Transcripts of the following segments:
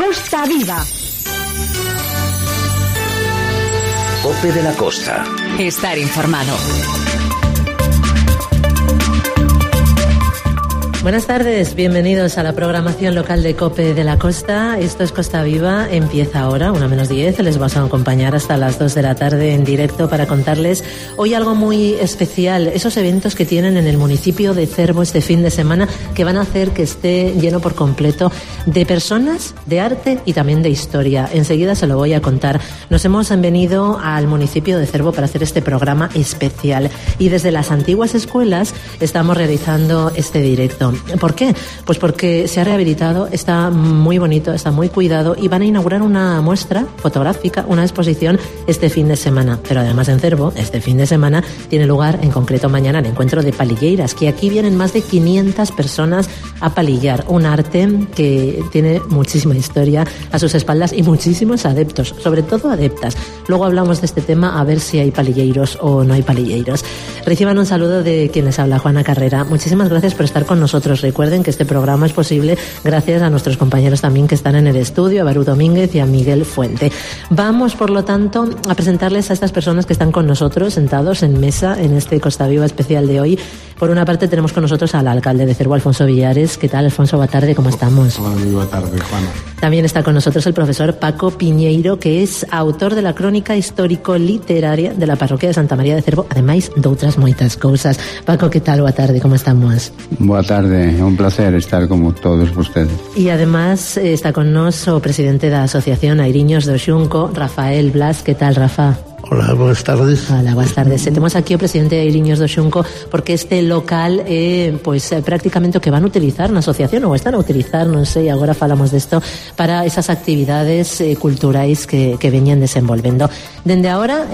Costa Viva. COPE de la Costa. Estar informado. Buenas tardes, bienvenidos a la programación local de COPE de la Costa. Esto es Costa Viva, empieza ahora, 1:10. Les vamos a acompañar hasta las 2 de la tarde en directo para contarles hoy algo muy especial. Esos eventos que tienen en el municipio de Cervo este fin de semana que van a hacer que esté lleno por completo de personas, de arte y también de historia. Enseguida se lo voy a contar. Nos hemos venido al municipio de Cervo para hacer este programa especial y desde las antiguas escuelas estamos realizando este directo. ¿Por qué? Pues porque se ha rehabilitado, está muy bonito, está muy cuidado y van a inaugurar una muestra fotográfica, una exposición este fin de semana. Pero además en Cervo, este fin de semana, tiene lugar en concreto mañana el encuentro de palilleiras, que aquí vienen más de 500 personas a palillar. Un arte que tiene muchísima historia a sus espaldas y muchísimos adeptos, sobre todo adeptas. Luego hablamos de este tema a ver si hay palilleiros o no hay palilleiros. Reciban un saludo de quien les habla, Juana Carrera. Muchísimas gracias por estar con nosotros. Recuerden que este programa es posible gracias a nuestros compañeros también que están en el estudio, a Barú Domínguez y a Miguel Fuente. Vamos, por lo tanto, a presentarles a estas personas que están con nosotros, sentados en mesa en este Costa Viva especial de hoy. Por una parte tenemos con nosotros al alcalde de Cervo, Alfonso Villares. ¿Qué tal, Alfonso? Buena tarde, ¿cómo estamos? Hola, muy buena tarde, Juana. También está con nosotros el profesor Paco Piñeiro, que es autor de la crónica histórico-literaria de la parroquia de Santa María de Cervo, ademais de outras moitas cousas. Paco, ¿qué tal? Boa tarde, ¿cómo estamos? Boa tarde, é un placer estar como todos ustedes. E además está con nos o presidente da Asociación Airiños do Xunco, Rafael Blas. ¿Qué tal, Rafa? Hola, buenas tardes. Hola, buenas tardes. Temos aquí o presidente de Airiños do Xunco porque este local prácticamente o que van a utilizar na asociación ou están a utilizar, non sei, agora falamos desto, para esas actividades culturais que veñan desenvolvendo. Dende agora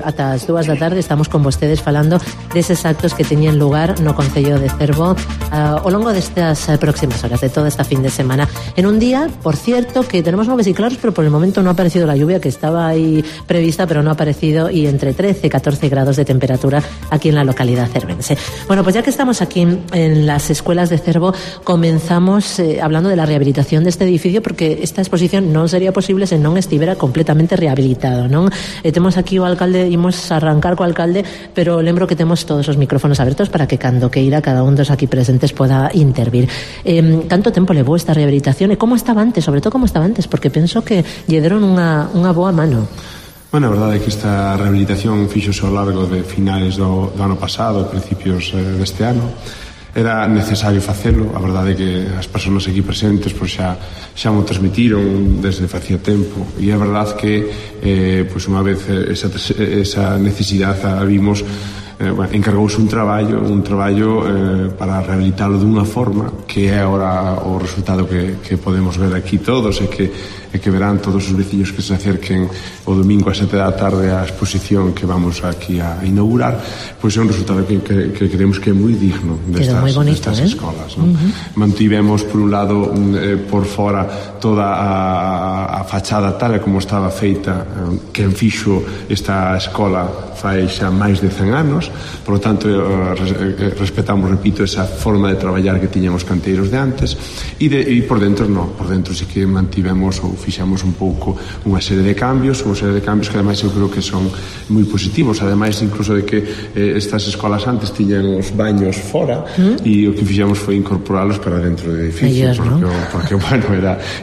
ata as 2 da tarde estamos con vostedes falando deses actos que teñen lugar no Concello de Cervo ao longo destas próximas horas, de toda esta fin de semana. En un día, por cierto, que tenemos nubes y claros, pero por el momento no ha aparecido la lluvia que estaba ahí prevista, pero no ha aparecido, y entre 13 y 14 grados de temperatura aquí en la localidad cervense. Bueno, pues ya que estamos aquí en las escuelas de Cervo, comenzamos hablando de la rehabilitación de este edificio, porque esta exposición non sería posible se non estivera completamente rehabilitado, non? Temos aquí o alcalde, imos arrancar co alcalde, pero lembro que temos todos os micrófonos abertos para que cando queira cada un dos aquí presentes poda intervir. Canto tempo levou esta rehabilitación e como estaba antes, sobre todo como estaba antes, porque penso que lle deron unha boa mano. Bueno, a verdade é que esta rehabilitación fíxose ao largo de finales do ano pasado, principios deste ano. Era necesario facelo, a verdade é que as persoas aquí presentes pois xa mo transmitiron desde facía tempo, e é verdade que pois unha vez esa necesidade a vimos, encargouse un traballo para rehabilitalo dunha forma que é agora o resultado que podemos ver aquí todos e que verán todos os veciños que se acerquen o domingo a 7 da tarde á exposición que vamos aquí a inaugurar. Pois é un resultado que creemos que é moi digno destas escolas, non? Mantivemos por un lado por fora toda a fachada tal como estaba feita, que fixo esta escola fai xa máis de 100 anos. Por lo tanto, respetamos, repito, esa forma de traballar que tiñamos canteiros de antes, e por dentro non, por dentro sí que mantivemos ou fixamos un pouco unha serie de cambios que ademais eu creo que son moi positivos, ademais incluso de que estas escolas antes tiñan os baños fora, e o que fixamos foi incorporalos para dentro do edificio, porque bueno,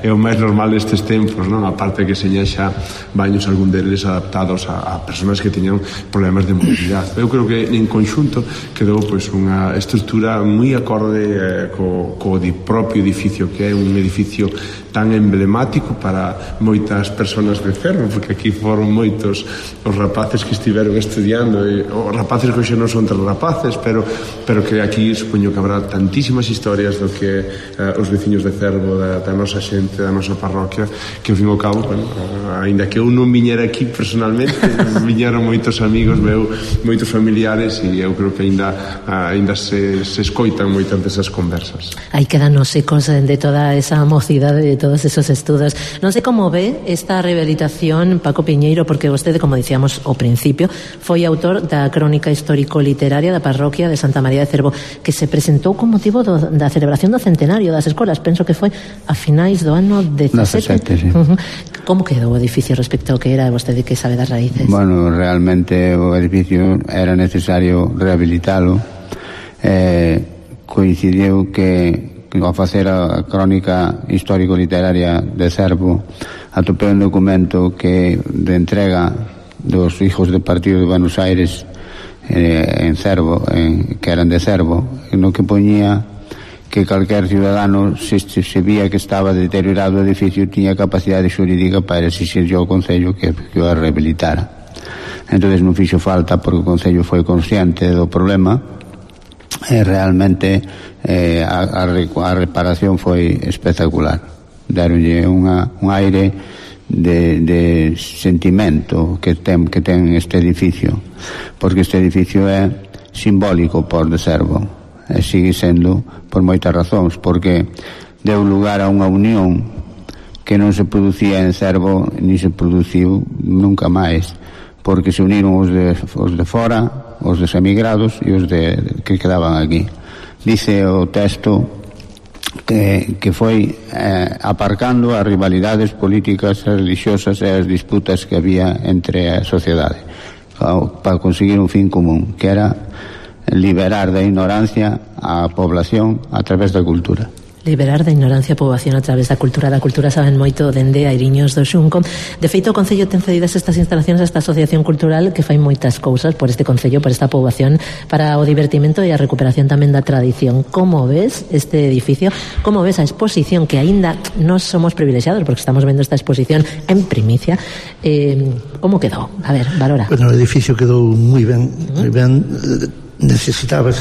é o máis normal destes tempos, non? Aparte que seña xa baños algún deles adaptados a persoas que teñan problemas de movilidade. Eu creo que en conxunto quedou pois unha estrutura moi acorde co propio edificio, que é un edificio tan emblemático para moitas persoas de Cervo, porque aquí foron moitos os rapaces que estiveron estudiando, e os rapaces que hoxe non son tan rapaces, pero que aquí supoño que habrá tantísimas historias do que os veciños de Cervo, da nosa xente, da nosa parroquia, que ao fin e ao cabo, bueno, ainda que eu non viñera aquí personalmente, viñeron moitos amigos meu, moitos familiares, e eu creo que ainda se escoitan moitas desas conversas. Aí quedan os ecos de toda esa mocidade, de todos esos estudos. Non sei como ve esta rehabilitación, Paco Piñeiro, porque vostede, como dicíamos ao principio, foi autor da crónica histórico-literaria da parroquia de Santa María de Cervo, que se presentou con motivo da celebración do centenario das escolas, penso que foi a finais do ano 17. Sí. Como quedou o edificio respecto ao que era, vostede que sabe das raíces? Bueno, realmente o edificio era necesario rehabilitalo. Coincidiu que ao facer a crónica histórico-literaria de Cervo atopei un documento que de entrega dos hijos do partido de Buenos Aires en Cervo, que eran de Cervo, no que poñía que calquer ciudadano, se vía que estaba deteriorado o edificio, tiña capacidade xurídica para exixirlle ao Concello que o rehabilitara. Entón non fixo falta, porque o Concello foi consciente do problema e realmente a reparación foi espectacular. Deronlle un aire de sentimento que ten este edificio, porque este edificio é simbólico por de Cervo, e sigue sendo por moitas razóns, porque deu lugar a unha unión que non se producía en Cervo ni se produciu nunca máis, porque se uniron os de fora, os desemigrados e os que quedaban aquí. Dice o texto que foi aparcando as rivalidades políticas, as religiosas e as disputas que había entre a sociedade para conseguir un fin común, que era liberar da ignorancia a población a través da cultura. Liberar da ignorancia a poboación a través da cultura. Da cultura saben moito dende Airiños do Xunco. De feito, o Concello ten cedidas estas instalacións a esta asociación cultural que fai moitas cousas por este Concello, por esta poboación, para o divertimento e a recuperación tamén da tradición. Como ves este edificio? Como ves a exposición, que aínda nos somos privilexiados porque estamos vendo esta exposición en primicia? Como quedou? A ver, valora. Bueno, o edificio quedou moi ben, moi ben. Necesitaba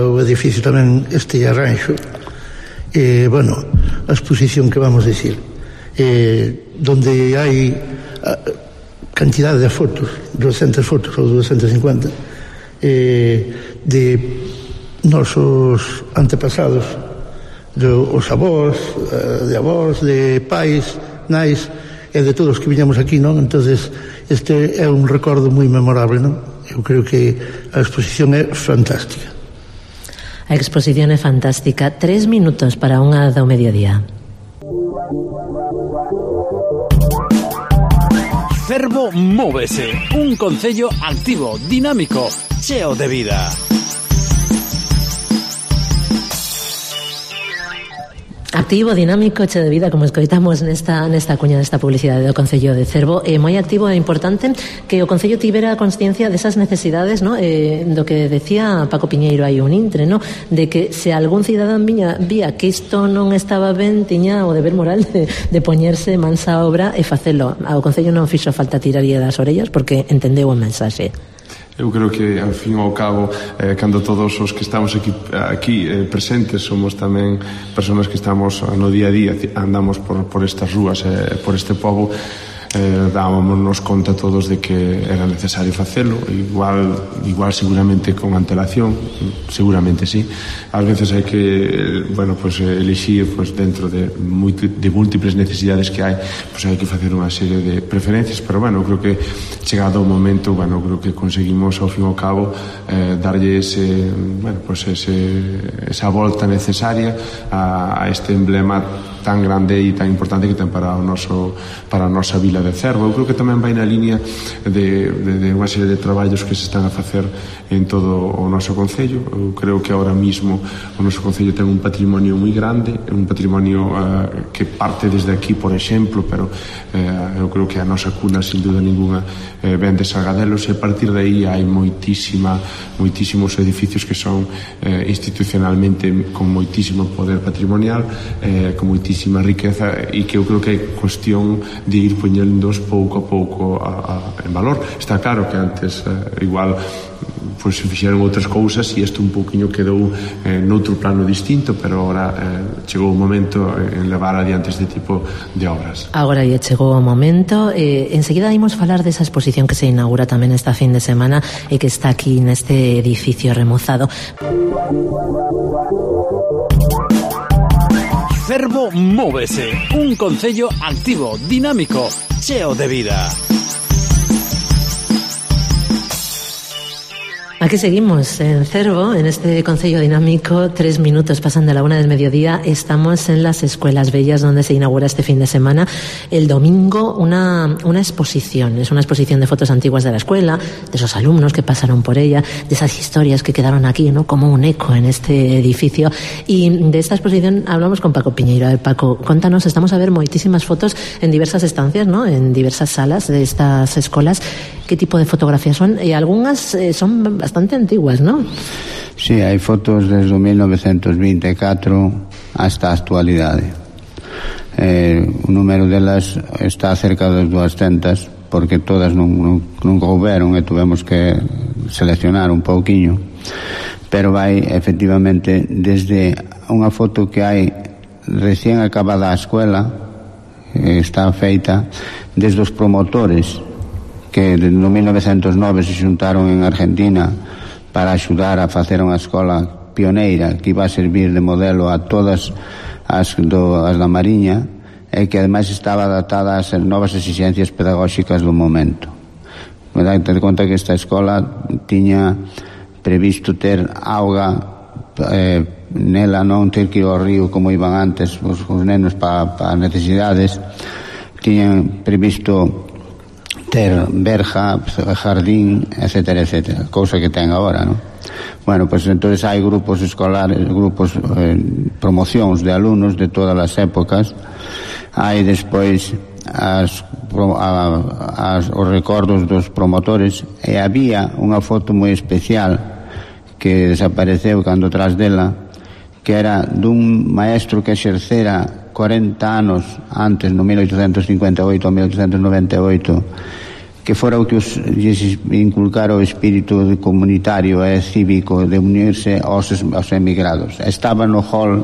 o edificio tamén este arranxo. Bueno, a exposición que vamos a decir, donde hai cantidade de fotos, 200 fotos ou 250 de nosos antepasados, os avós, de avós, de pais, nais e de todos que viñamos aquí, non? Entonces este é un recordo moi memorable, non? Eu creo que a exposición é fantástica. A exposición é fantástica. 3 minutos para unha do mediodía. Cervo móvese, un concello activo, dinámico, cheo de vida. Activo, dinámico, cheo de vida, como escoitamos nesta cuña desta publicidade do Concello de Cervo. Moi activo e importante que o Concello tivera consciencia desas necesidades, no? Do que decía Paco Piñeiro hai un intre, no? De que se algún cidadán vía que isto non estaba ben, tiña o deber moral de poñerse mansa obra e facelo. Ao Concello non fixo falta tirarlle das orellas porque entendeu o mensaxe. Eu creo que, ao fin e ao cabo, cando todos os que estamos aquí presentes somos tamén persoas que estamos no día a día, andamos por estas rúas, por este pobo, dámonos conta todos de que era necesario facelo, igual seguramente con antelación, seguramente sí. Ás veces hai que, bueno, pues elixir, pues dentro de múltiples necesidades que hai, pues hai que facer unha serie de preferencias, pero bueno, creo que chegado o momento, bueno, creo que conseguimos ao fin e ao cabo darlle esa volta necesaria a este emblema tan grande e tan importante que ten para a nosa vila de Cervo. Eu creo que tamén vai na línea de unha serie de traballos que se están a facer en todo o noso concello. Eu creo que ahora mismo o noso concello ten un patrimonio moi grande, un patrimonio que parte desde aquí, por exemplo, pero eu creo que a nosa cuna, sin duda ninguna, ven de Sargadelos, e a partir de aí hai moitísimos edificios que son institucionalmente con moitísimo poder patrimonial, con moitísima riqueza, e que eu creo que é cuestión de ir poñéndoos pouco a pouco en valor. Está claro que antes igual pois se fixeron outras cousas e isto un pouquiño quedou noutro plano distinto, pero agora chegou o momento en levar adiante este tipo de obras. Agora chegou o momento. Enseguida imos falar desa exposición que se inaugura tamén esta fin de semana e que está aquí neste edificio remozado. Cervo Móvese, un concello activo, dinámico, cheo de vida. Aquí seguimos en Cervo, en este concello dinámico. 3 minutos pasan de la 1 del mediodía. Estamos en las Escuelas Bellas, donde se inaugura este fin de semana, el domingo, una exposición. Es una exposición de fotos antiguas de la escuela, de esos alumnos que pasaron por ella, de esas historias que quedaron aquí, ¿no?, como un eco en este edificio. Y de esta exposición hablamos con Paco Piñeiro. A ver, Paco, contanos, estamos a ver moitísimas fotos en diversas estancias, ¿no?, en diversas salas de estas escolas. ¿Qué tipo de fotografías son? Y algunas son bastante antiguas, ¿no? Sí, hai fotos desde 1924 hasta a actualidade. O número delas está cerca das 200, porque todas non couberon e tuvemos que seleccionar un pouquiño, pero vai efectivamente desde unha foto que hai recién acabada a escuela, está feita desde os promotores que no 1909 se xuntaron en Argentina para axudar a facer unha escola pioneira que iba a servir de modelo a todas as da Mariña, e que ademais estaba adaptada ás novas exigencias pedagóxicas do momento. Date conta que esta escola tiña previsto ter auga nela, non ter que ir ao río como iban antes os nenos para necesidades. Tiñan previsto ter verja, jardín, etcétera, etcétera, cousa que ten agora, non? Bueno, pues entonces hai grupos escolares, promocións de alumnos de todas as épocas. Hai despois os recordos dos promotores, e había unha foto moi especial que desapareceu cando tras dela, que era dun maestro que exercera 40 anos antes, no 1858 a 1898, que fora o que lles inculcara o espírito comunitario e cívico de unirse aos emigrados. Estaba no hall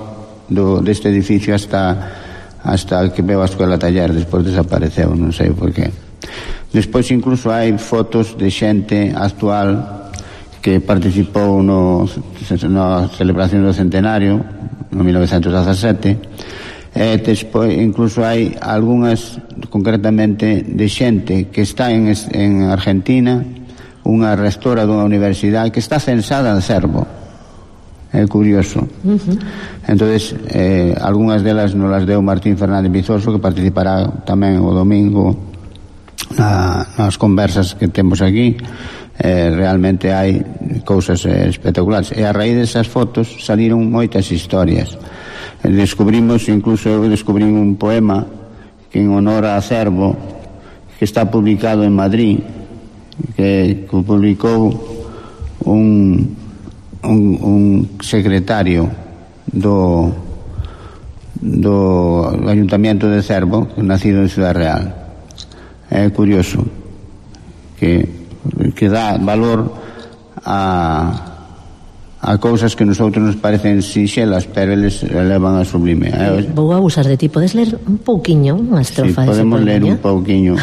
deste edificio hasta que veo a escola taller, despois desapareceu, non sei por qué. Despois incluso hai fotos de xente actual que participou na celebración do centenario no 1917. Despois incluso hai algunhas concretamente de xente que está en Argentina, unha rectora dunha universidade que está censada en Cervo. É curioso. Entonces algunhas delas nos las deu Martín Fernández Vizoso, que participará tamén o domingo nas conversas que temos aquí. Realmente hai cousas espectaculares, e a raíz desas fotos saliron moitas historias. Incluso eu descubrí un poema que en honor a Cervo, que está publicado en Madrid, que publicou un secretario do Ayuntamiento de Cervo, nacido en Ciudad Real. É curioso que dá valor a cousas que nosotros nos parecen sinxelas, pero eles elevan a sublime. Vou abusar de ti, podes ler un pouquiño unha estrofa? Sí, podemos ler un pouquiño.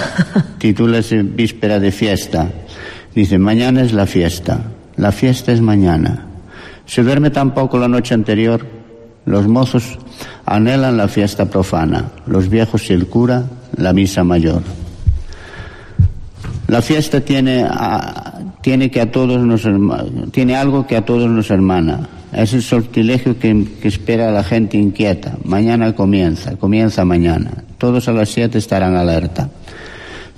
Titúlase Víspera de fiesta. Dice: mañana es la fiesta es mañana. Se duerme tan poco la noche anterior, los mozos anhelan la fiesta profana, los viejos y el cura la misa mayor. La fiesta tiene algo que a todos nos hermana. Es el sortilegio que espera a la gente inquieta. Mañana comienza mañana. Todos a las 7 estarán alerta.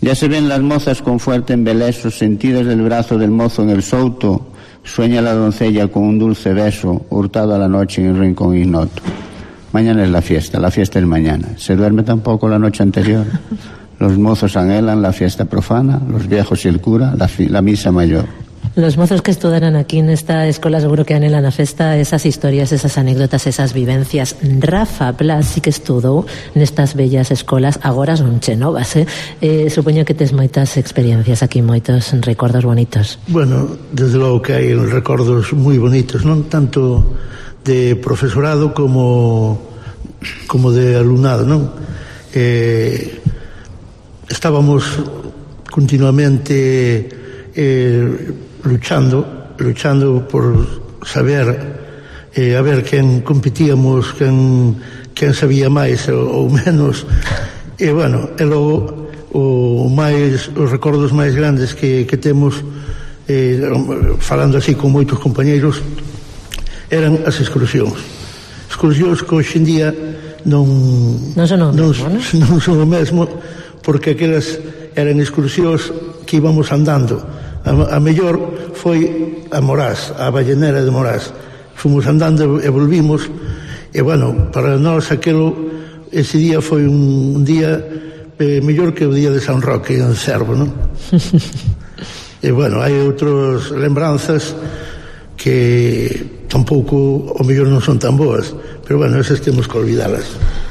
Ya se ven las mozas con fuerte embeleso, sentidas del brazo del mozo en el souto. Sueña la doncella con un dulce beso, hurtado a la noche en el rincón ignoto. Mañana es la fiesta es mañana. Se duerme tampoco la noche anterior. Los mozos anhelan la fiesta profana, los viejos y el cura la misa mayor. Los mozos que estudaran aquí en esta escola seguro que anhelan a festa, esas historias, esas anécdotas, esas vivencias. Rafa Blas sí que estudou nestas bellas escolas, agora son chenovas, supoño que tes moitas experiencias aquí, moitos recordos bonitos. Bueno, desde logo que hai recordos moi bonitos, non tanto de profesorado como de alumnado, non? Estábamos continuamente luchando por saber a ver quen competíamos, quen quen sabía máis ou menos, e bueno, e logo os recordos máis grandes que temos, falando así con moitos compañeiros, eran as excursións que hoxe en día non son o mesmo, porque aquelas eran excursións que íbamos andando. A mellor foi a Morás, a Ballenera de Morás, fomos andando e volvimos, e bueno, para nós ese día foi un día mellor que o día de San Roque en Cervo, non? E bueno, hai outras lembranzas que tampouco o mellor non son tan boas, pero bueno, esas temos que olvidalas.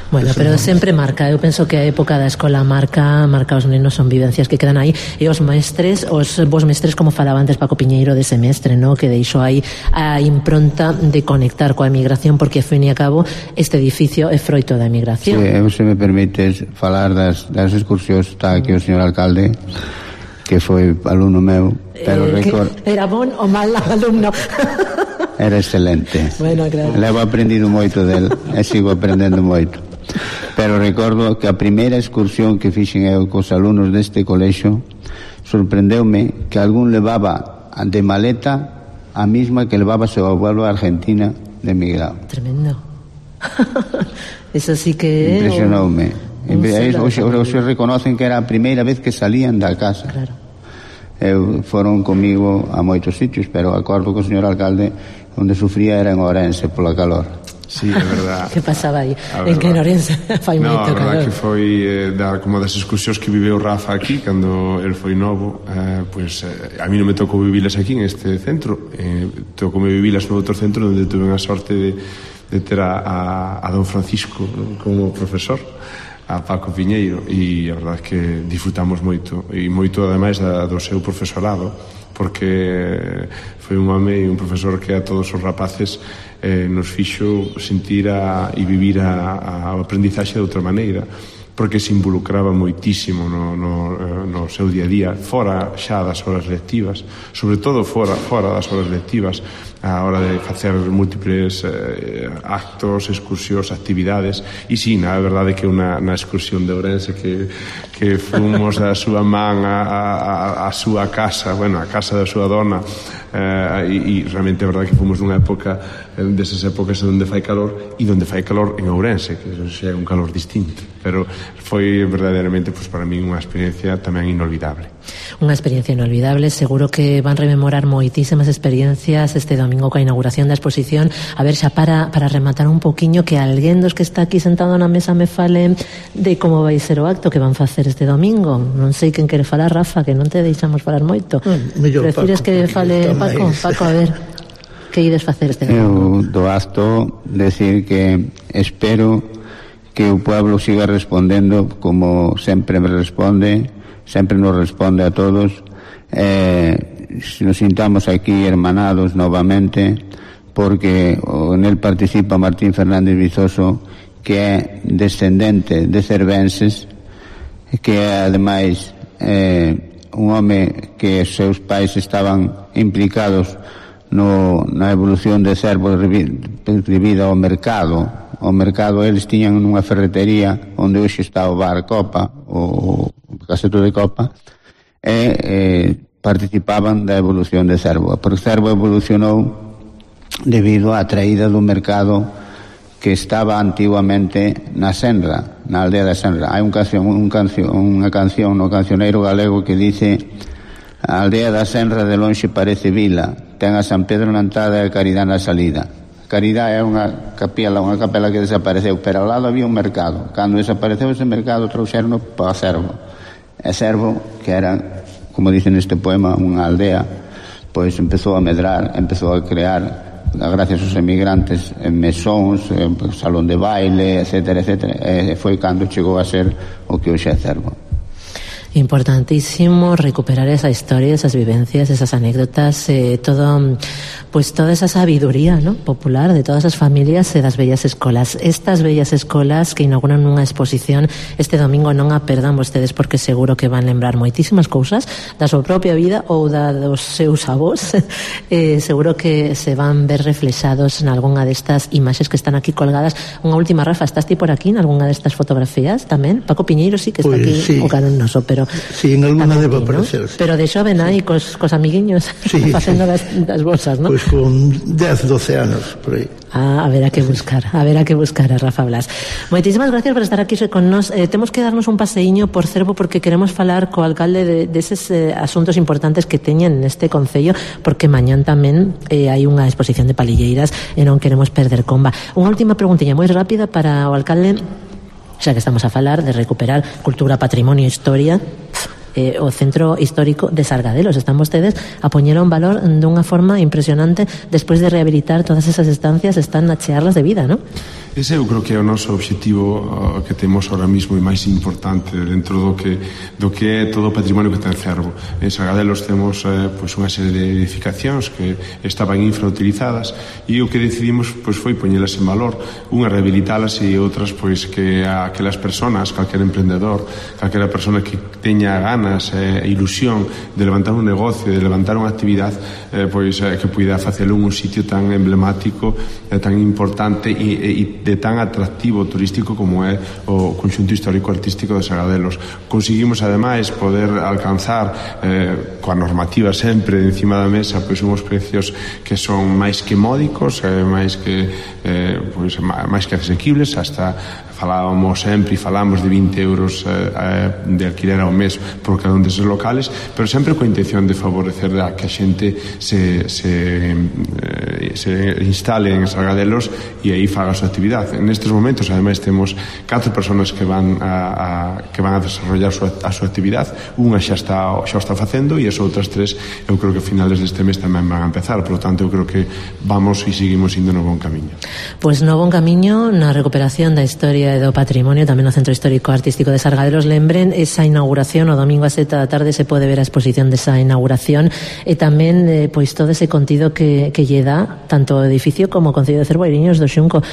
Bueno, pero sempre marca, eu penso que a época da escola marca os nenos, son vivencias que quedan aí, e os vos mestres, como falaba antes Paco Piñeiro de semestre, no? Que deixou aí a impronta de conectar coa emigración, porque, ao fin e a cabo, este edificio é froito da emigración. Sí, se me permites falar das excursións, está aquí o señor alcalde, que foi alumno meu, pero era bon ou mal alumno? Era excelente. Bueno, claro. Levo aprendido moito del e sigo aprendendo moito. Pero recordo que a primeira excursión que fixen eu cos alumnos deste colexio, sorprendeume que algún levaba de maleta a mesma que levaba seu abuelo a Argentina de emigrado. Tremendo. Eso sí que impresionoume. Hoxe reconocen que era a primeira vez que salían da casa. Claro. Foron comigo a moitos sitios, pero acordo que o señor alcalde onde sufría era en Ourense pola calor. Sí, é verdad. Que pasaba aí? En que en Ourense fai moito calor. A verdad que foi como das excursións que viveu Rafa aquí cando el foi novo, pues a mí non me tocou vivilas aquí en este centro, tocou me vivilas no outro centro onde tuve a sorte de ter a don Francisco, ¿no? Como profesor, a Paco Piñeiro, e a verdade é que disfrutamos moito, e moito ademais do seu profesorado, porque foi un home e un profesor que a todos os rapaces nos fixo sentir e vivir a aprendizaxe de outra maneira, porque se involucraba moitísimo no seu día a día, fora xa das horas lectivas, sobre todo fora das horas lectivas, a hora de facer múltiples actos, excursións, actividades. E sí, na verdade que na excursión de Ourense que fomos da súa man a súa casa, bueno, a casa da súa dona, e realmente é verdade que fomos nunha época desas épocas onde fai calor, e onde fai calor en Ourense, que xa é un calor distinto, pero foi verdadeiramente, pues, para mí unha experiencia tamén inolvidable. Unha experiencia inolvidable, seguro que van rememorar moitísimas experiencias este domingo coa inauguración da exposición. A ver, xa para rematar un poquiño, que alguén dos que está aquí sentado na mesa me fale de como vai ser o acto que van facer este domingo. Non sei quen quere falar, Rafa, que non te deixamos falar moito. Prefires que fale Paco? Paco, a ver, que ides facer este domingo? Eu do acto decir que espero que o pueblo siga respondendo como sempre me responde, sempre nos responde a todos, nos sintamos aquí hermanados novamente, porque en él participa Martín Fernández Vizoso, que é descendente de cervenses, que é ademais un home que os seus pais estaban implicados na evolución de Cervo debido ao mercado. O mercado, eles tiñan nunha ferretería onde hoxe está o bar Copa, o Caseto de Copa, e participaban da evolución de Cervo, porque Cervo evolucionou debido á traída do mercado que estaba antiguamente na Senra, na aldea da Senra. Hai unha canción no cancioneiro galego que dice: a aldea da Senra de lonxe parece vila, ten a San Pedro na entrada e a Caridad na salida. Caridad é unha capela que desapareceu, pero ao lado había un mercado. Cando desapareceu ese mercado, trouxeron para Cervo. E Cervo, que era, como dicen neste poema, unha aldea, pois empezou a medrar, empezou a crear, gracias aos emigrantes, mesóns, salón de baile, etcétera, etcétera. E foi cando chegou a ser o que hoxe é Cervo. E Importantísimo recuperar esa historia, esas vivencias, esas anécdotas, toda esa sabiduría, ¿no?, popular de todas as familias e das bellas escolas. Estas bellas escolas que inauguran unha exposición este domingo, non a perdan vostedes, porque seguro que van lembrar moitísimas cousas da súa propia vida ou da dos seus avós. Seguro que se van ver reflexados en algunha destas imaxes que están aquí colgadas. Unha última, Rafa, estás ti por aquí en algunha destas fotografías tamén? Paco Piñeiro sí que está aquí, sí, o carón noso, pero sí, en alguna debo aparecer, ¿no? Sí. Pero de xoven aí cos amiguiños, sí, facendo sí, das bolsas, ¿no? Pois con 10, 12 anos por aí. Haberá que buscar a Rafa Blas. Moitísimas gracias por estar aquí con nós. Temos que darnos un paseiño por Cervo porque queremos falar co alcalde deses asuntos importantes que teñen neste concello, porque mañán tamén hai unha exposición de palilleiras e non queremos perder comba. Unha última preguntilla moi rápida para o alcalde, xa que estamos a falar de recuperar cultura, patrimonio e historia. O Centro Histórico de Sargadelos, están vostedes a poñer un valor dunha forma impresionante. Despois de rehabilitar todas esas estancias, están a chearlas de vida, ¿no? Ese eu creo que é o noso obxectivo que temos ahora mismo e máis importante dentro do que é todo o patrimonio que ten Cervo. En Sargadelos temos pois unha serie de edificacións que estaban infrautilizadas e o que decidimos pois foi poñelas en valor, unha rehabilitalas e outras pois que aquelas persoas, calquera emprendedor, calquera persona que teña ganas e ilusión de levantar un negocio, de levantar unha actividade, pois que puida facelo en un sitio tan emblemático, tan importante e de tan atractivo turístico como é o conxunto histórico-artístico de Sargadelos. Conseguimos ademais poder alcanzar coa normativa sempre encima da mesa pois unhos precios que son máis que módicos, máis que asequibles. Hasta falamos de 20 euros de alquiler ao mes por cada un deses locales, pero sempre coa intención de favorecer a que a xente se instale en Sargadelos e aí faga a súa actividade. En estes momentos, ademais, temos 4 personas que van a desarrollar a súa actividade. Unha xa está facendo e as outras 3 eu creo que a finales deste mes tamén van a empezar. Por lo tanto, eu creo que vamos e seguimos indo no bon camiño. Pois no bon camiño na recuperación da historia e do patrimonio, tamén no Centro Histórico Artístico de Sargadelos. Lembren esa inauguración o domingo a 7 da tarde, se pode ver a exposición desa inauguración e tamén pois todo ese contido que lle dá tanto o edificio como o Concello de Cervo e Iriños do Xunco.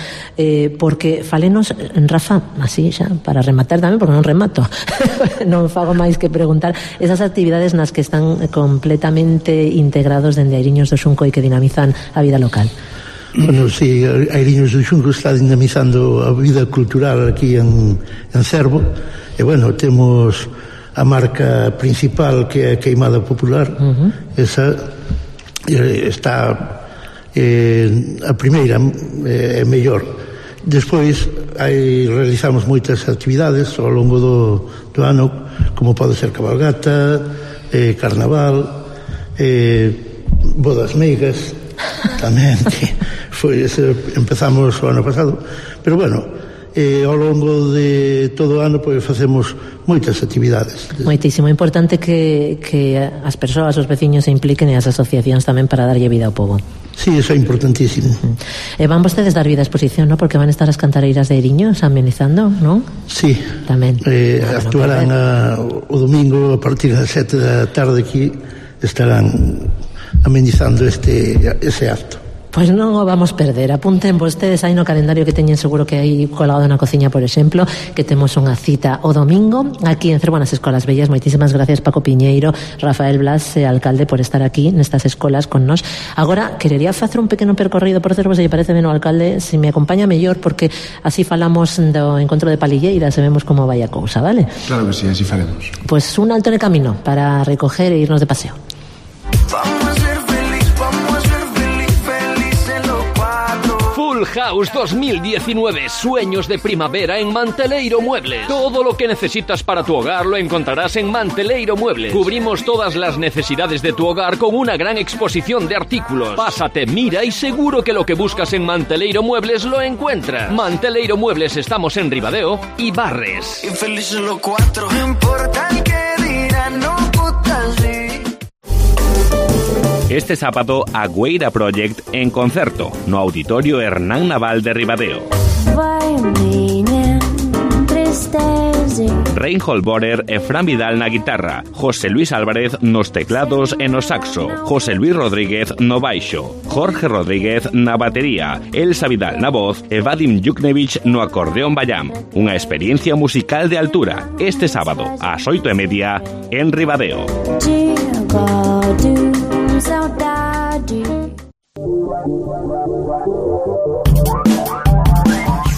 Porque falenos, Rafa, así xa, para rematar tamén, porque non remato non fago máis que preguntar esas actividades nas que están completamente integrados dende Iriños do Xunco e que dinamizan a vida local. Bueno, sí, Iriños do Xunco está dinamizando a vida cultural aquí en Cervo e bueno, temos a marca principal que é a Queimada Popular. Esa está a primeira é mellor. Despois realizamos moitas actividades ao longo do ano, como pode ser cabalgata, carnaval, bodas meigas tamén, que empezamos o ano pasado, pero bueno, ao longo de todo o ano pois facemos moitas actividades. Moitísimo importante que as persoas, os veciños se impliquen e as asociacións tamén para darlle vida ao pobo. Sí, eso é importantísimo. E van vostedes dar vida á exposición, ¿no? Porque van a estar as cantareiras de Iriños amenizando, ¿no? Sí, tamén. Actuarán o domingo a partir das 7 da tarde aquí, estarán amenizando ese acto. Pois non o vamos perder. Apunten vostedes aí no calendario que teñen seguro que hai colgado na cociña, por exemplo, que temos unha cita o domingo aquí en Cervo nas Escolas Bellas. Moitísimas gracias, Paco Piñeiro, Rafael Blas, alcalde, por estar aquí nestas escolas con nós. Agora, querería facer un pequeno percorrido por Cervo, se lle parece ben o alcalde, se me acompaña mellor, porque así falamos do encontro de palilleiras e vemos como vai a cousa, vale? Claro que sí, así faremos. Pois un alto en el camino para recoger e irnos de paseo. House 2019, sueños de primavera en Manteleiro Muebles. Todo lo que necesitas para tu hogar lo encontrarás en Manteleiro Muebles. Cubrimos todas las necesidades de tu hogar con una gran exposición de artículos. Pásate, mira y seguro que lo que buscas en Manteleiro Muebles lo encuentras. Manteleiro Muebles, estamos en Ribadeo y Barres. Infelices los cuatro, no importa el que dirán, no puta así. Este sábado, Agüeira Project en concerto no Auditorio Hernán Naval de Ribadeo. Reinhold Borer e Fran Vidal na guitarra, José Luis Álvarez nos teclados e no saxo, José Luis Rodríguez no baixo, Jorge Rodríguez na batería, Elsa Vidal na voz e Vadim Juknevich no acordeón bayam. Unha experiencia musical de altura este sábado ás 8:30 en Ribadeo.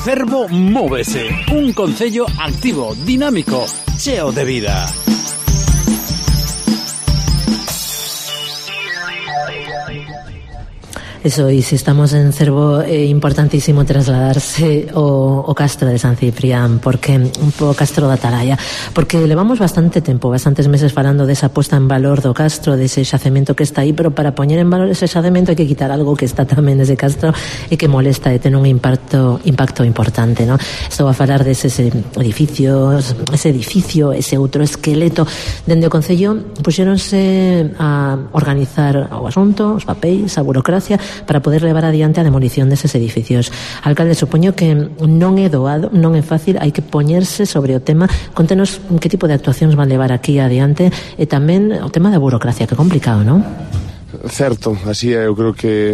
Cervo Móvese, un concello activo, dinámico, cheo de vida. Eso, y si estamos en Cervo, importantísimo trasladarse o Castro de San Ciprián, porque un pouco Castro da Atalaya, porque levamos bastante tempo, bastantes meses falando desa puesta en valor do Castro, dese xacemento que está aí, pero para poñer en valor ese xacemento hai que quitar algo que está tamén nese Castro e que molesta e ten un impacto importante, ¿no? Estou a falar dese edificio, ese outro esqueleto. Dende o Concello puxéronse a organizar o asunto, os papéis, a burocracia, para poder levar adiante a demolición deses edificios. Alcalde, supoño que non é doado, non é fácil, hai que poñerse sobre o tema. Contenos que tipo de actuacións van levar aquí adiante e tamén o tema da burocracia, que é complicado, non? Certo, así é. Eu creo que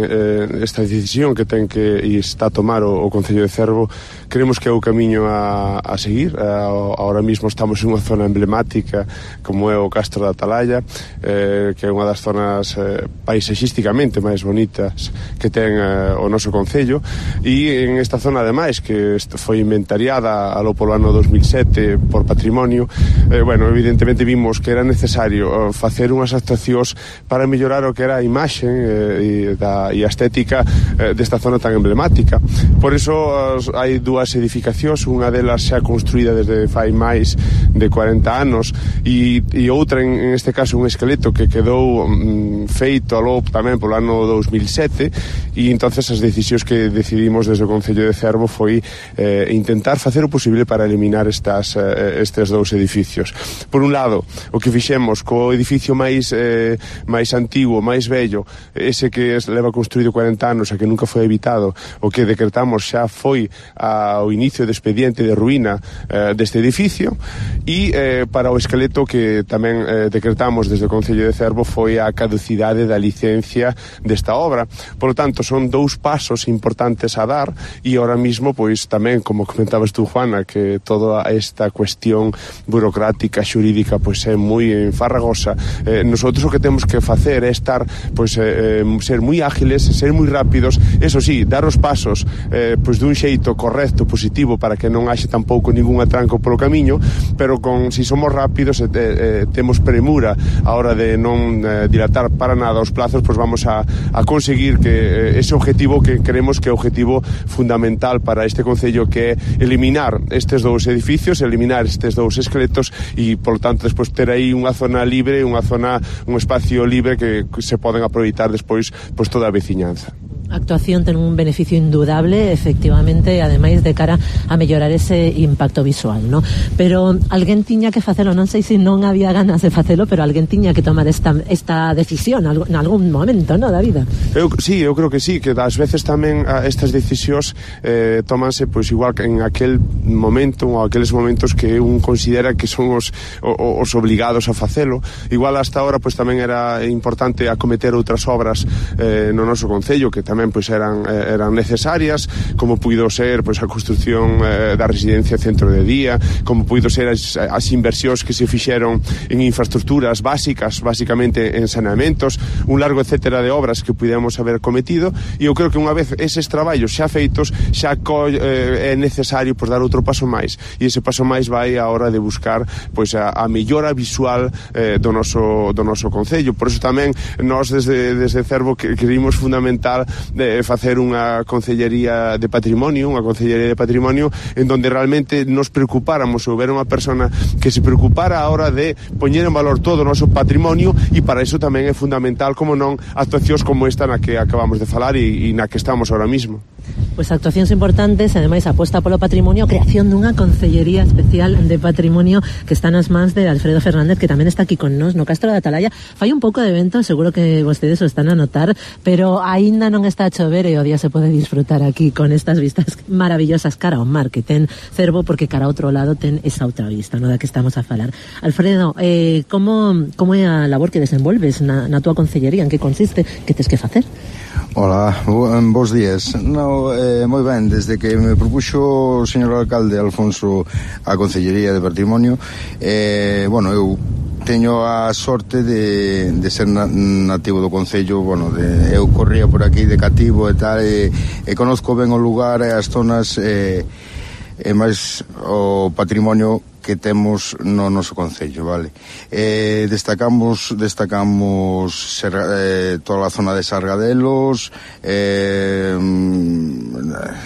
esta decisión que ten que e está a tomar o Concello de Cervo, creemos que é o camiño a seguir. Ahora mismo estamos en unha zona emblemática como é o Castro da Atalaya, que é unha das zonas paisaxísticamente máis bonitas que ten o noso Concello, e en esta zona ademais que foi inventariada alo polo ano 2007 por patrimonio, bueno, evidentemente vimos que era necesario facer unhas actuacións para mellorar o que era a imaxe e a estética desta zona tan emblemática. Por iso hai dúas edificacións, unha delas xa construída desde fai máis de 40 anos e outra, en este caso, un esqueleto que quedou feito aló tamén polo ano 2007, e entonces as decisións que decidimos desde o Concello de Cervo foi intentar facer o posible para eliminar estes dous edificios. Por un lado, o que fixemos co edificio máis antigo, máis vello, ese que leva construído 40 anos e que nunca foi habitado, o que decretamos xa foi ao inicio do expediente de ruína deste edificio, e para o esqueleto que tamén decretamos desde o Concello de Cervo foi a caducidade da licencia desta obra. Por lo tanto, son dous pasos importantes a dar, e ahora mismo, pois tamén, como comentabas tú, Juana, que toda esta cuestión burocrática, xurídica, pois é moi farragosa. Nosotros o que temos que facer é estar, pois, ser moi ágiles, ser moi rápidos, eso sí, dar os pasos pois dun xeito correcto, positivo, para que non haxe tampouco ningún atranco polo camiño, pero si somos rápidos e temos premura a hora de non dilatar para nada os plazos, pois vamos a conseguir que ese objetivo que queremos que é o objetivo fundamental para este Concello, que é eliminar estes dous edificios, eliminar estes dous esqueletos e, por tanto, despois ter aí unha zona libre, un espacio libre que se poden aproveitar despois pois toda a veciñanza. A actuación ten un beneficio indudable, efectivamente, ademais de cara a mellorar ese impacto visual, ¿no? Pero alguén tiña que facelo, non sei se non había ganas de facelo, pero alguén tiña que tomar esta decisión en algún momento, ¿no, David? Sí, eu creo que sí, que ás veces tamén estas decisións tómanse pois igual que en aquel momento ou aqueles momentos que un considera que son os obligados a facelo. Igual hasta ahora pois tamén era importante acometer outras obras no noso Concello que tamén pois eran necesarias, como puido ser pois a construción da residencia centro de día, como puido ser as inversións que se fixeron en infraestructuras básicas, basicamente en saneamentos, un largo etcétera de obras que pudemos haber cometido, e eu creo que unha vez eses traballos xa feitos, xa é necesario pois dar outro paso máis, e ese paso máis vai a hora de buscar pois a mellora visual do noso Concello. Por iso tamén nós desde Cervo querimos fundamental de facer unha concellería de patrimonio, en donde realmente nos preocupáramos, houbera unha persona que se preocupara a hora de poñer en valor todo o noso patrimonio, e para iso tamén é fundamental, como non, actuacións como esta na que acabamos de falar e na que estamos ahora mismo. Pois actuacións importantes, ademais aposta polo patrimonio, creación dunha concellería especial de patrimonio que está nas mans de Alfredo Fernández, que tamén está aquí con nós no Castro da Atalaya. Fai un pouco de vento, seguro que vostedes o están a notar, pero aínda non está a chover e o día se pode disfrutar aquí con estas vistas maravillosas cara ao mar que ten Cervo, porque cara ao outro lado ten esa outra vista, no da que estamos a falar. Alfredo, como é a labor que desenvolves na túa concellería? En que consiste? Que tes que facer? Hola, bons días. Moi ben, desde que me propuxo o señor alcalde Alfonso a Concellería de Patrimonio, eu teño a sorte de ser nativo do concello. Eu corría por aquí de cativo e tal, e conozco ben o lugar e as zonas e máis o patrimonio que temos no noso concello, vale? Destacamos toda a zona de Sargadelos,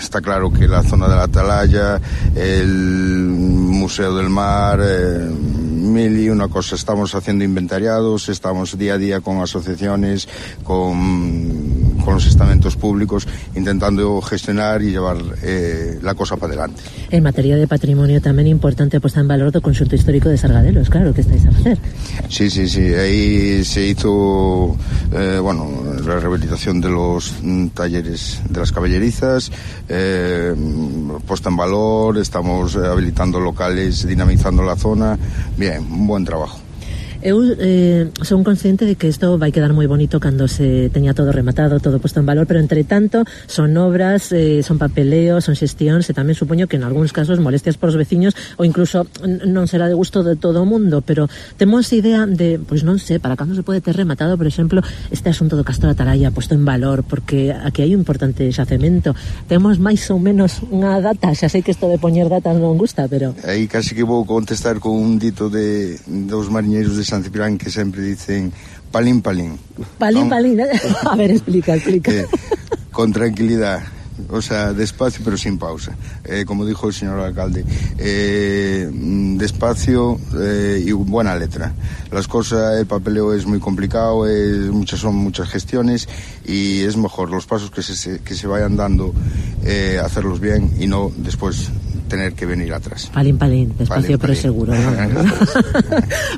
está claro que la zona de la Atalaya, el Museo del Mar, mil y una cosa. Estamos haciendo inventariados, estamos día a día con asociaciones, con los estamentos públicos, intentando gestionar y llevar la cosa para adelante. En materia de patrimonio tamén importante posta en valor do conxunto histórico de Sargadelos, claro, que estáis a facer. Sí, ahí se hizo la rehabilitación de los talleres de las caballerizas, puesta en valor, estamos habilitando locales, dinamizando la zona. Bien, un buen trabajo. Eu son consciente de que isto vai quedar moi bonito cando se teña todo rematado, todo posto en valor, pero entre tanto son obras, son papeleos, son xestións, e tamén supoño que en algúns casos molestias por os veciños, ou incluso non será de gusto de todo o mundo, pero temos idea de, pois non sei, para cando se pode ter rematado, por exemplo, este asunto do Castro da Atalaya posto en valor, porque aquí hai un importante xacemento. Temos máis ou menos unha data, xa sei que isto de poñer datas non gusta, pero... Aí casi que vou contestar con un dito dos mariñeiros de San Ciprián que sempre dicen palín, palín. Palín, palín. A ver, explica. Con tranquilidad, o sea, despacio pero sin pausa. Como dijo el señor alcalde, despacio y buena letra. Las cosas, el papeleo es muy complicado, son muchas gestiones, y es mejor los pasos que se vayan dando, hacerlos bien y no después tener que venir atrás. Palín, despacio pero seguro, ¿no?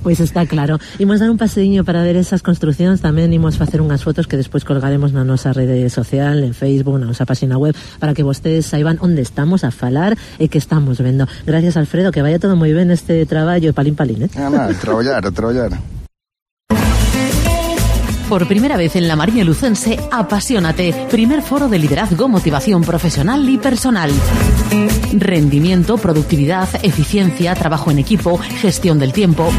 Pois está claro. Imos dar un paseiño para ver esas construcións, tamén imos facer unhas fotos que despois colgaremos na nosa rede social, en Facebook, na nosa página web, para que vostedes saiban onde estamos a falar e que estamos vendo. Gracias, Alfredo, que vaya todo moi ben este traballo, palín, a traballar. Por primera vez en la Marina Lucense, Apasionate, primer foro de liderazgo, motivación profesional y personal. Rendimiento, productividad, eficiencia, trabajo en equipo, gestión del tiempo.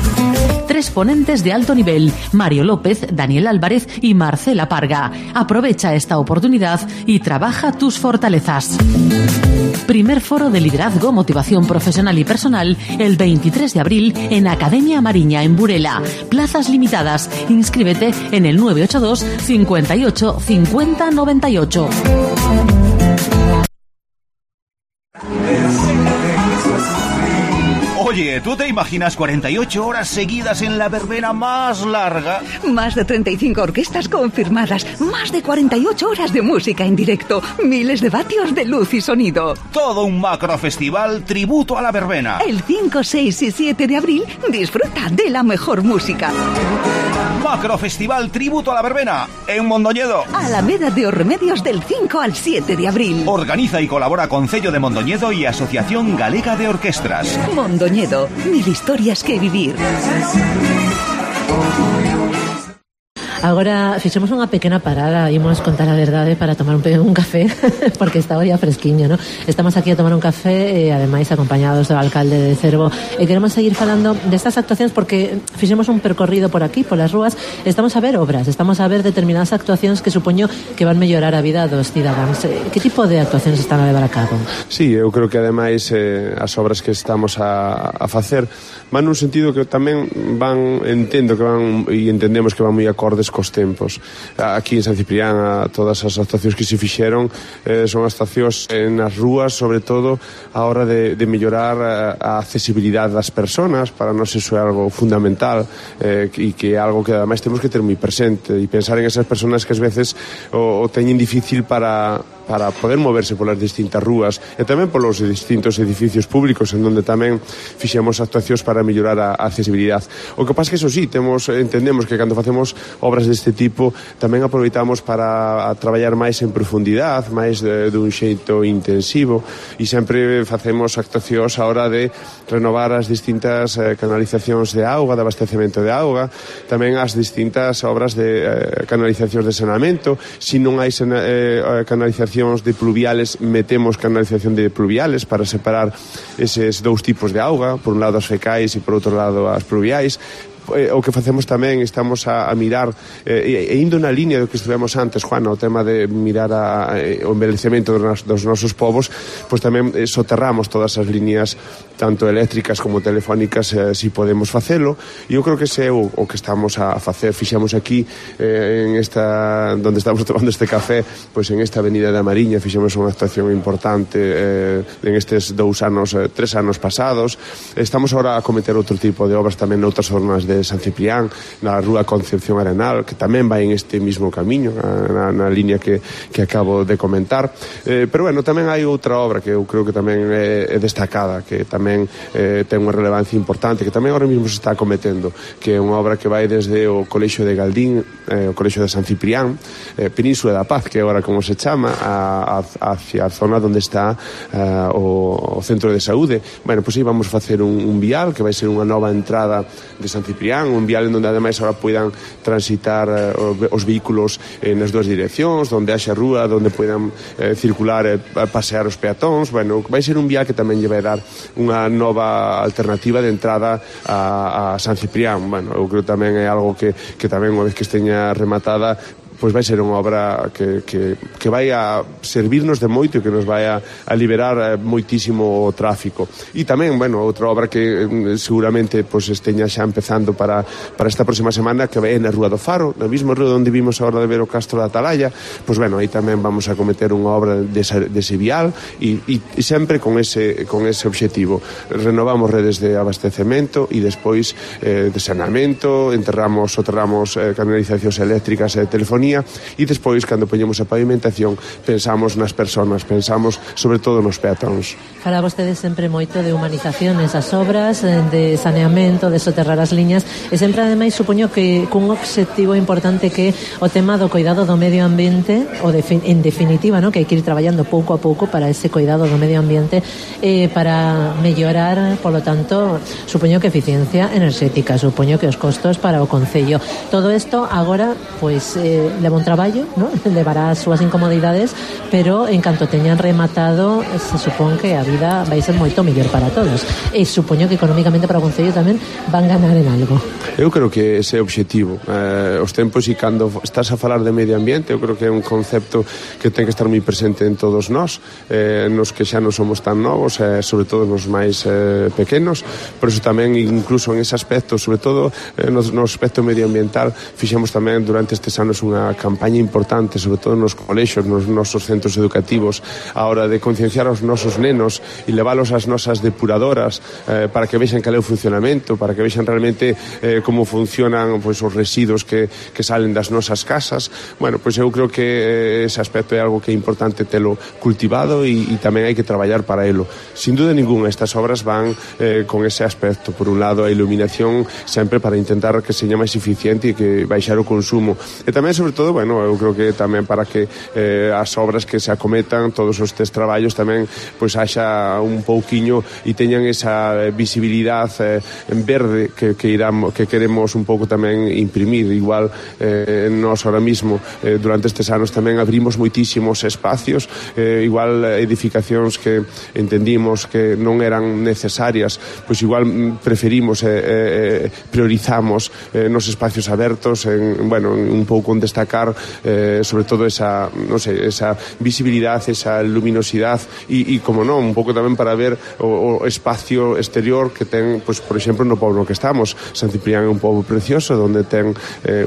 3 ponentes de alto nivel, Mario López, Daniel Álvarez y Marcela Parga. Aprovecha esta oportunidad y trabaja tus fortalezas. Primer foro de liderazgo, motivación profesional y personal, el 23 de abril en Academia Mariña, en Burela. Plazas limitadas. Inscríbete en el 982 58 50 98. Oye, ¿tú te imaginas 48 horas seguidas en la verbena más larga? Más de 35 orquestas confirmadas, más de 48 horas de música en directo, miles de vatios de luz y sonido. Todo un macrofestival tributo a la verbena. El 5, 6 y 7 de abril, disfruta de la mejor música. Macrofestival tributo a la verbena, en Mondoñedo. Alameda de Os Remedios, del 5 al 7 de abril. Organiza y colabora Concello de Mondoñedo y Asociación Galega de Orquestras. Mondoñedo, 1000 historias que vivir. Agora fixemos unha pequena parada, imos contar a verdade para tomar un café, porque está ya fresquiño, ¿no? Estamos aquí a tomar un café, ademais acompañados do alcalde de Cervo, e queremos seguir falando destas actuacións porque fixemos un percorrido por aquí, polas rúas, estamos a ver obras, estamos a ver determinadas actuacións que supoño que van mellorar a vida dos cidadáns. Que tipo de actuacións están a levar a cabo? Sí, eu creo que ademais as obras que estamos a facer van nun sentido que tamén entendemos que van moi acordes cos tempos. Aquí en San Ciprián todas as actuacións que se fixeron son actuacións nas rúas, sobre todo a hora de mellorar a accesibilidade das persoas. Para nós iso é algo fundamental, e que é algo que ademais temos que ter moi presente e pensar en esas persoas que ás veces o teñen difícil para para poder moverse polas distintas rúas e tamén polos distintos edificios públicos en donde tamén fixemos actuacións para mellorar a accesibilidade. O que pasa que, eso sí, entendemos que cando facemos obras deste tipo tamén aproveitamos para traballar máis en profundidade, máis dun xeito intensivo, e sempre facemos actuacións a hora de renovar as distintas canalizacións de auga, de abastecemento de auga, tamén as distintas obras de canalizacións de saneamento. Se non hai canalizacións de pluviales, metemos canalización de pluviales para separar eses dous tipos de auga, por un lado as fecais e por outro lado as pluviais. O que facemos tamén, estamos a mirar e indo na línea do que estivemos antes, Juana, o tema de mirar o envelhecemento dos nosos povos, pois tamén soterramos todas as líneas tanto eléctricas como telefónicas, si podemos facelo, e eu creo que ese é o que estamos a facer. Fixemos aquí en esta, onde estamos tomando este café, pois en esta avenida da Mariña fixemos unha actuación importante en estes 3 anos pasados. Estamos agora a cometer outro tipo de obras tamén noutras zonas de San Ciprián, na rúa Concepción Arenal, que tamén vai en este mismo camiño, na línea que acabo de comentar. Pero bueno, tamén hai outra obra que eu creo que tamén é destacada, que tamén ten unha relevancia importante, que tamén ahora mesmo se está cometendo, que é unha obra que vai desde o Colexio de Galdín, o Colexio de San Ciprián, Península da Paz, que agora como se chama, hacia a zona onde está o Centro de Saúde. Bueno, pois aí vamos facer un vial que vai ser unha nova entrada de San Ciprián, un vial en donde ademais ahora poidan transitar os vehículos nas dúas direccións, donde haxa rúa, donde poidan circular e pasear os peatóns. Bueno, vai ser un vial que tamén lle vai dar unha nova alternativa de entrada a San Ciprián. Bueno, eu creo tamén é algo que tamén unha vez que esteña rematada, pois vai ser unha obra que vai a servirnos de moito e que nos vai a liberar moitísimo o tráfico. E tamén, bueno, outra obra que seguramente pois esteña xa empezando para esta próxima semana, que vai na Rúa do Faro, na mesma rúa onde vimos agora de ver o Castro da Atalaya. Pois bueno, aí tamén vamos a cometer unha obra dese vial e sempre con ese obxectivo. Renovamos redes de abastecemento e despois de saneamento, soterramos canalizacións eléctricas e telefonía. E despois, cando poñemos a pavimentación, pensamos nas persoas, pensamos sobre todo nos peatóns. Fala vostede sempre moito de humanización nesas obras, de saneamento, de soterrar as liñas, e sempre ademais supoño que cun obxectivo importante que o tema do cuidado do medio ambiente, en definitiva, ¿no? Que hai que ir traballando pouco a pouco para ese cuidado do medio ambiente, para mellorar, polo tanto, supoño que eficiencia enerxética, supoño que os costos para o concello. Todo isto agora, pois, leva un traballo, ¿no? Levará as súas incomodidades, pero en canto teñan rematado, se supón que a vida vai ser moito mellor para todos. E supoño que económicamente para o concello tamén van ganar en algo. Eu creo que ese é o obxectivo. Os tempos, e cando estás a falar de medio ambiente, eu creo que é un concepto que ten que estar moi presente en todos nós, nos que xa non somos tan novos, sobre todo nos máis pequenos. Por eso tamén, incluso en ese aspecto, sobre todo no aspecto medioambiental, fixemos tamén durante estes anos unha campaña importante, sobre todo nos colexios, nos nosos centros educativos, a hora de concienciar aos nosos nenos e leválos ás nosas depuradoras para que vexan cal é o funcionamento, para que vexan realmente como funcionan pois, os residuos que salen das nosas casas. Bueno, pois eu creo que ese aspecto é algo que é importante telo cultivado e tamén hai que traballar para elo. Sin duda ninguna, estas obras van con ese aspecto. Por un lado, a iluminación sempre para intentar que seña máis eficiente e que baixar o consumo. E tamén, sobre todo, bueno, eu creo que tamén para que as obras que se acometan, todos estes traballos tamén pois haxa un pouquiño e teñan esa visibilidade en verde que queremos un pouco tamén imprimir. Igual nós ahora mismo durante estes anos tamén abrimos moitísimos espacios, igual edificacións que entendimos que non eran necesarias, pois igual preferimos priorizamos nos espacios abertos un pouco en destacar sobre todo esa visibilidade, esa luminosidade e como non, un pouco tamén para ver o espacio exterior que ten, pois, por exemplo, no pobo no que estamos. San Ciprián é un pobo precioso onde ten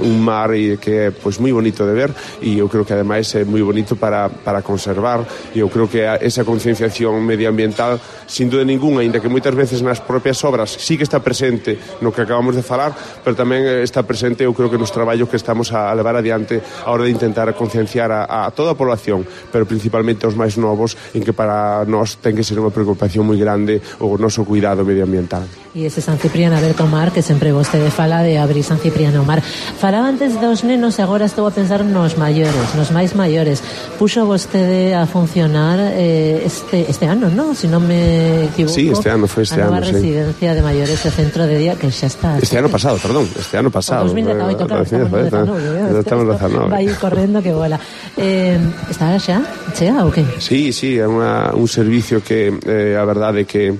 un mar e que é pois moi bonito de ver, e eu creo que ademais é moi bonito para conservar, e eu creo que esa concienciación medioambiental, sin duda ninguna, ainda que moitas veces nas propias obras sí que está presente no que acabamos de falar, pero tamén está presente, eu creo que nos traballos que estamos a levar adiante importante a hora de intentar concienciar a toda a población, pero principalmente aos máis novos, en que para nós ten que ser unha preocupación moi grande o noso cuidado medioambiental. E ese San Cipriano Aberto Mar, que sempre vostede fala de abrir San Cipriano Mar. Falaba antes dos nenos e agora estou a pensar nos maiores, nos máis maiores. Puxo vostede a funcionar este ano, non? Se non me equivoco. Sí, este ano, foi este ano, sí. A nova residencia de maiores e centro de día, que xa está. Este ano pasado, perdón, este ano pasado. 2018, claro, estamos no 19. Vai correndo que bola. Está xa chea ou que? Sí, é un servicio que a verdade é que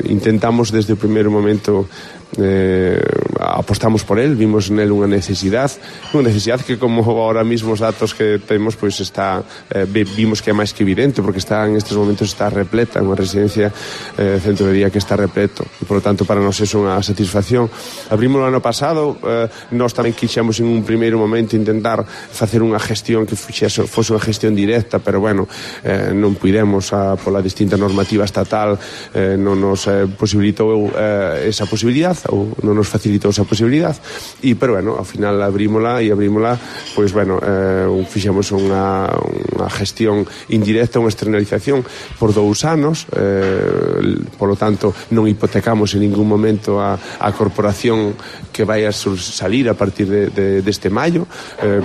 intentamos desde o primeiro momento apostamos por él, vimos nel unha necesidade que como ahora mismo os datos que temos pois está vimos que é máis que evidente, porque está en estes momentos está repleta, unha residencia centro de día que está repleto e por lo tanto para nós é unha satisfacción. Abrimos o ano pasado, nós tamén quixemos en un primeiro momento intentar facer unha gestión que fose unha gestión directa, pero bueno, non puidemos pola distinta normativa estatal, non nos posibilitou esa posibilidade ou non nos facilitou esa posibilidade pero bueno, ao final abrímola pois bueno, fixemos unha gestión indirecta, unha externalización por 2 anos, polo tanto non hipotecamos en ningún momento a corporación que vai a salir a partir deste maio,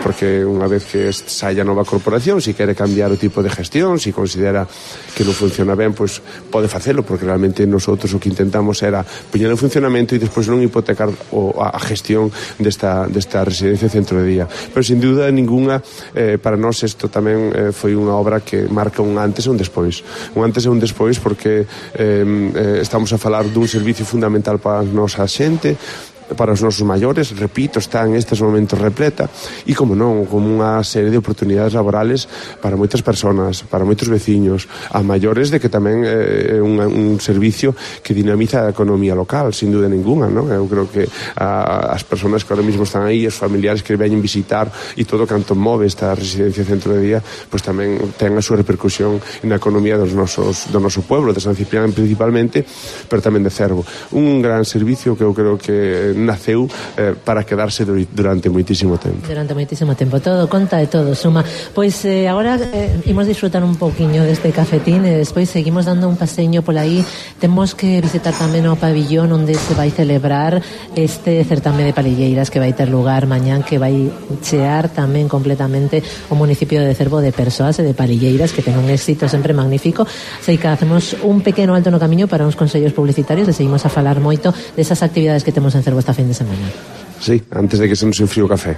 porque unha vez que saia nova corporación, se quere cambiar o tipo de gestión, se considera que non funciona ben, pois pode facelo, porque realmente nosotros o que intentamos era poñer en funcionamento e despois non hipotecar a gestión desta residencia centro de día. Pero sin dúda ninguna, para nós isto tamén foi unha obra que marca un antes e un despois. Un antes e un despois porque estamos a falar dun servicio fundamental para a nosa xente, para os nosos maiores, repito, está en estes momentos repleta e, como non, como unha serie de oportunidades laborales para moitas persoas, para moitos veciños, a maiores, de que tamén é un servicio que dinamiza a economía local, sin duda ninguna, non? Eu creo que as persoas que ahora mismo están aí, os familiares que veñen visitar e todo canto move esta residencia centro de día, pois tamén ten a súa repercusión na economía do noso pueblo, de San Ciprián principalmente, pero tamén de Cervo. Un gran servicio que eu creo que naceu para quedarse durante moitísimo tempo. Durante moitísimo tempo, todo conta e todo suma. Pois agora imos disfrutar un pouquiño deste cafetín e despois seguimos dando un paseño por aí. Temos que visitar tamén o pabillón onde se vai celebrar este certame de palilleiras que vai ter lugar mañán, que vai chear tamén completamente o municipio de Cervo de persoas e de palilleiras, que ten un éxito sempre magnífico. Sei que hacemos un pequeno alto no camiño para uns consellos publicitarios e seguimos a falar moito desas actividades que temos en Cervo esta fin de semana. Sí, antes de que se nos enfríe o café.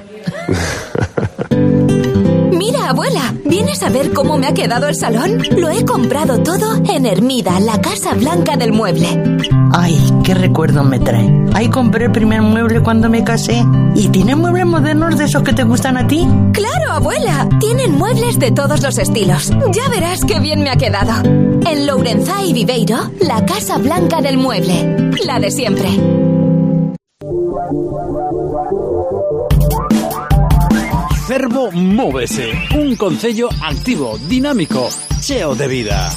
Mira, abuela, ¿vienes a ver cómo me ha quedado el salón? Lo he comprado todo en Hermida, la Casa Blanca del Mueble. Ay, qué recuerdo me trae. Ahí compré el primer mueble cuando me casé. ¿Y tiene muebles modernos de esos que te gustan a ti? ¡Claro, abuela! Tienen muebles de todos los estilos. Ya verás qué bien me ha quedado. En Lourenzá y Viveiro, la Casa Blanca del Mueble. La de siempre. Cervo Móvese, un concello activo, dinámico, cheo de vida.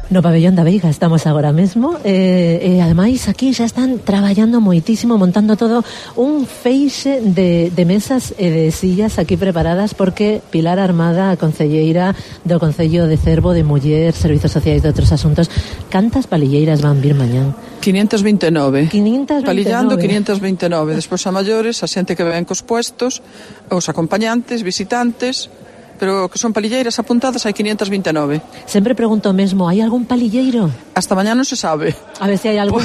No pabellón da Veiga estamos agora mesmo e ademais aquí xa están traballando moitísimo, montando todo un feixe de mesas e de sillas aquí preparadas, porque Pilar Armada, a concelleira do Concello de Cervo de Muller, Servizos Sociais de Outros Asuntos, cantas palilleiras van vir mañán? 529. 529. Palillando 529. Despois a maiores, a xente que ven cos puestos, os acompañantes, visitantes, pero que son palilleiras apuntadas, hai 529. Sempre pregunto mesmo, hai algún palilleiro? Hasta mañá non se sabe. A ver se hai algún.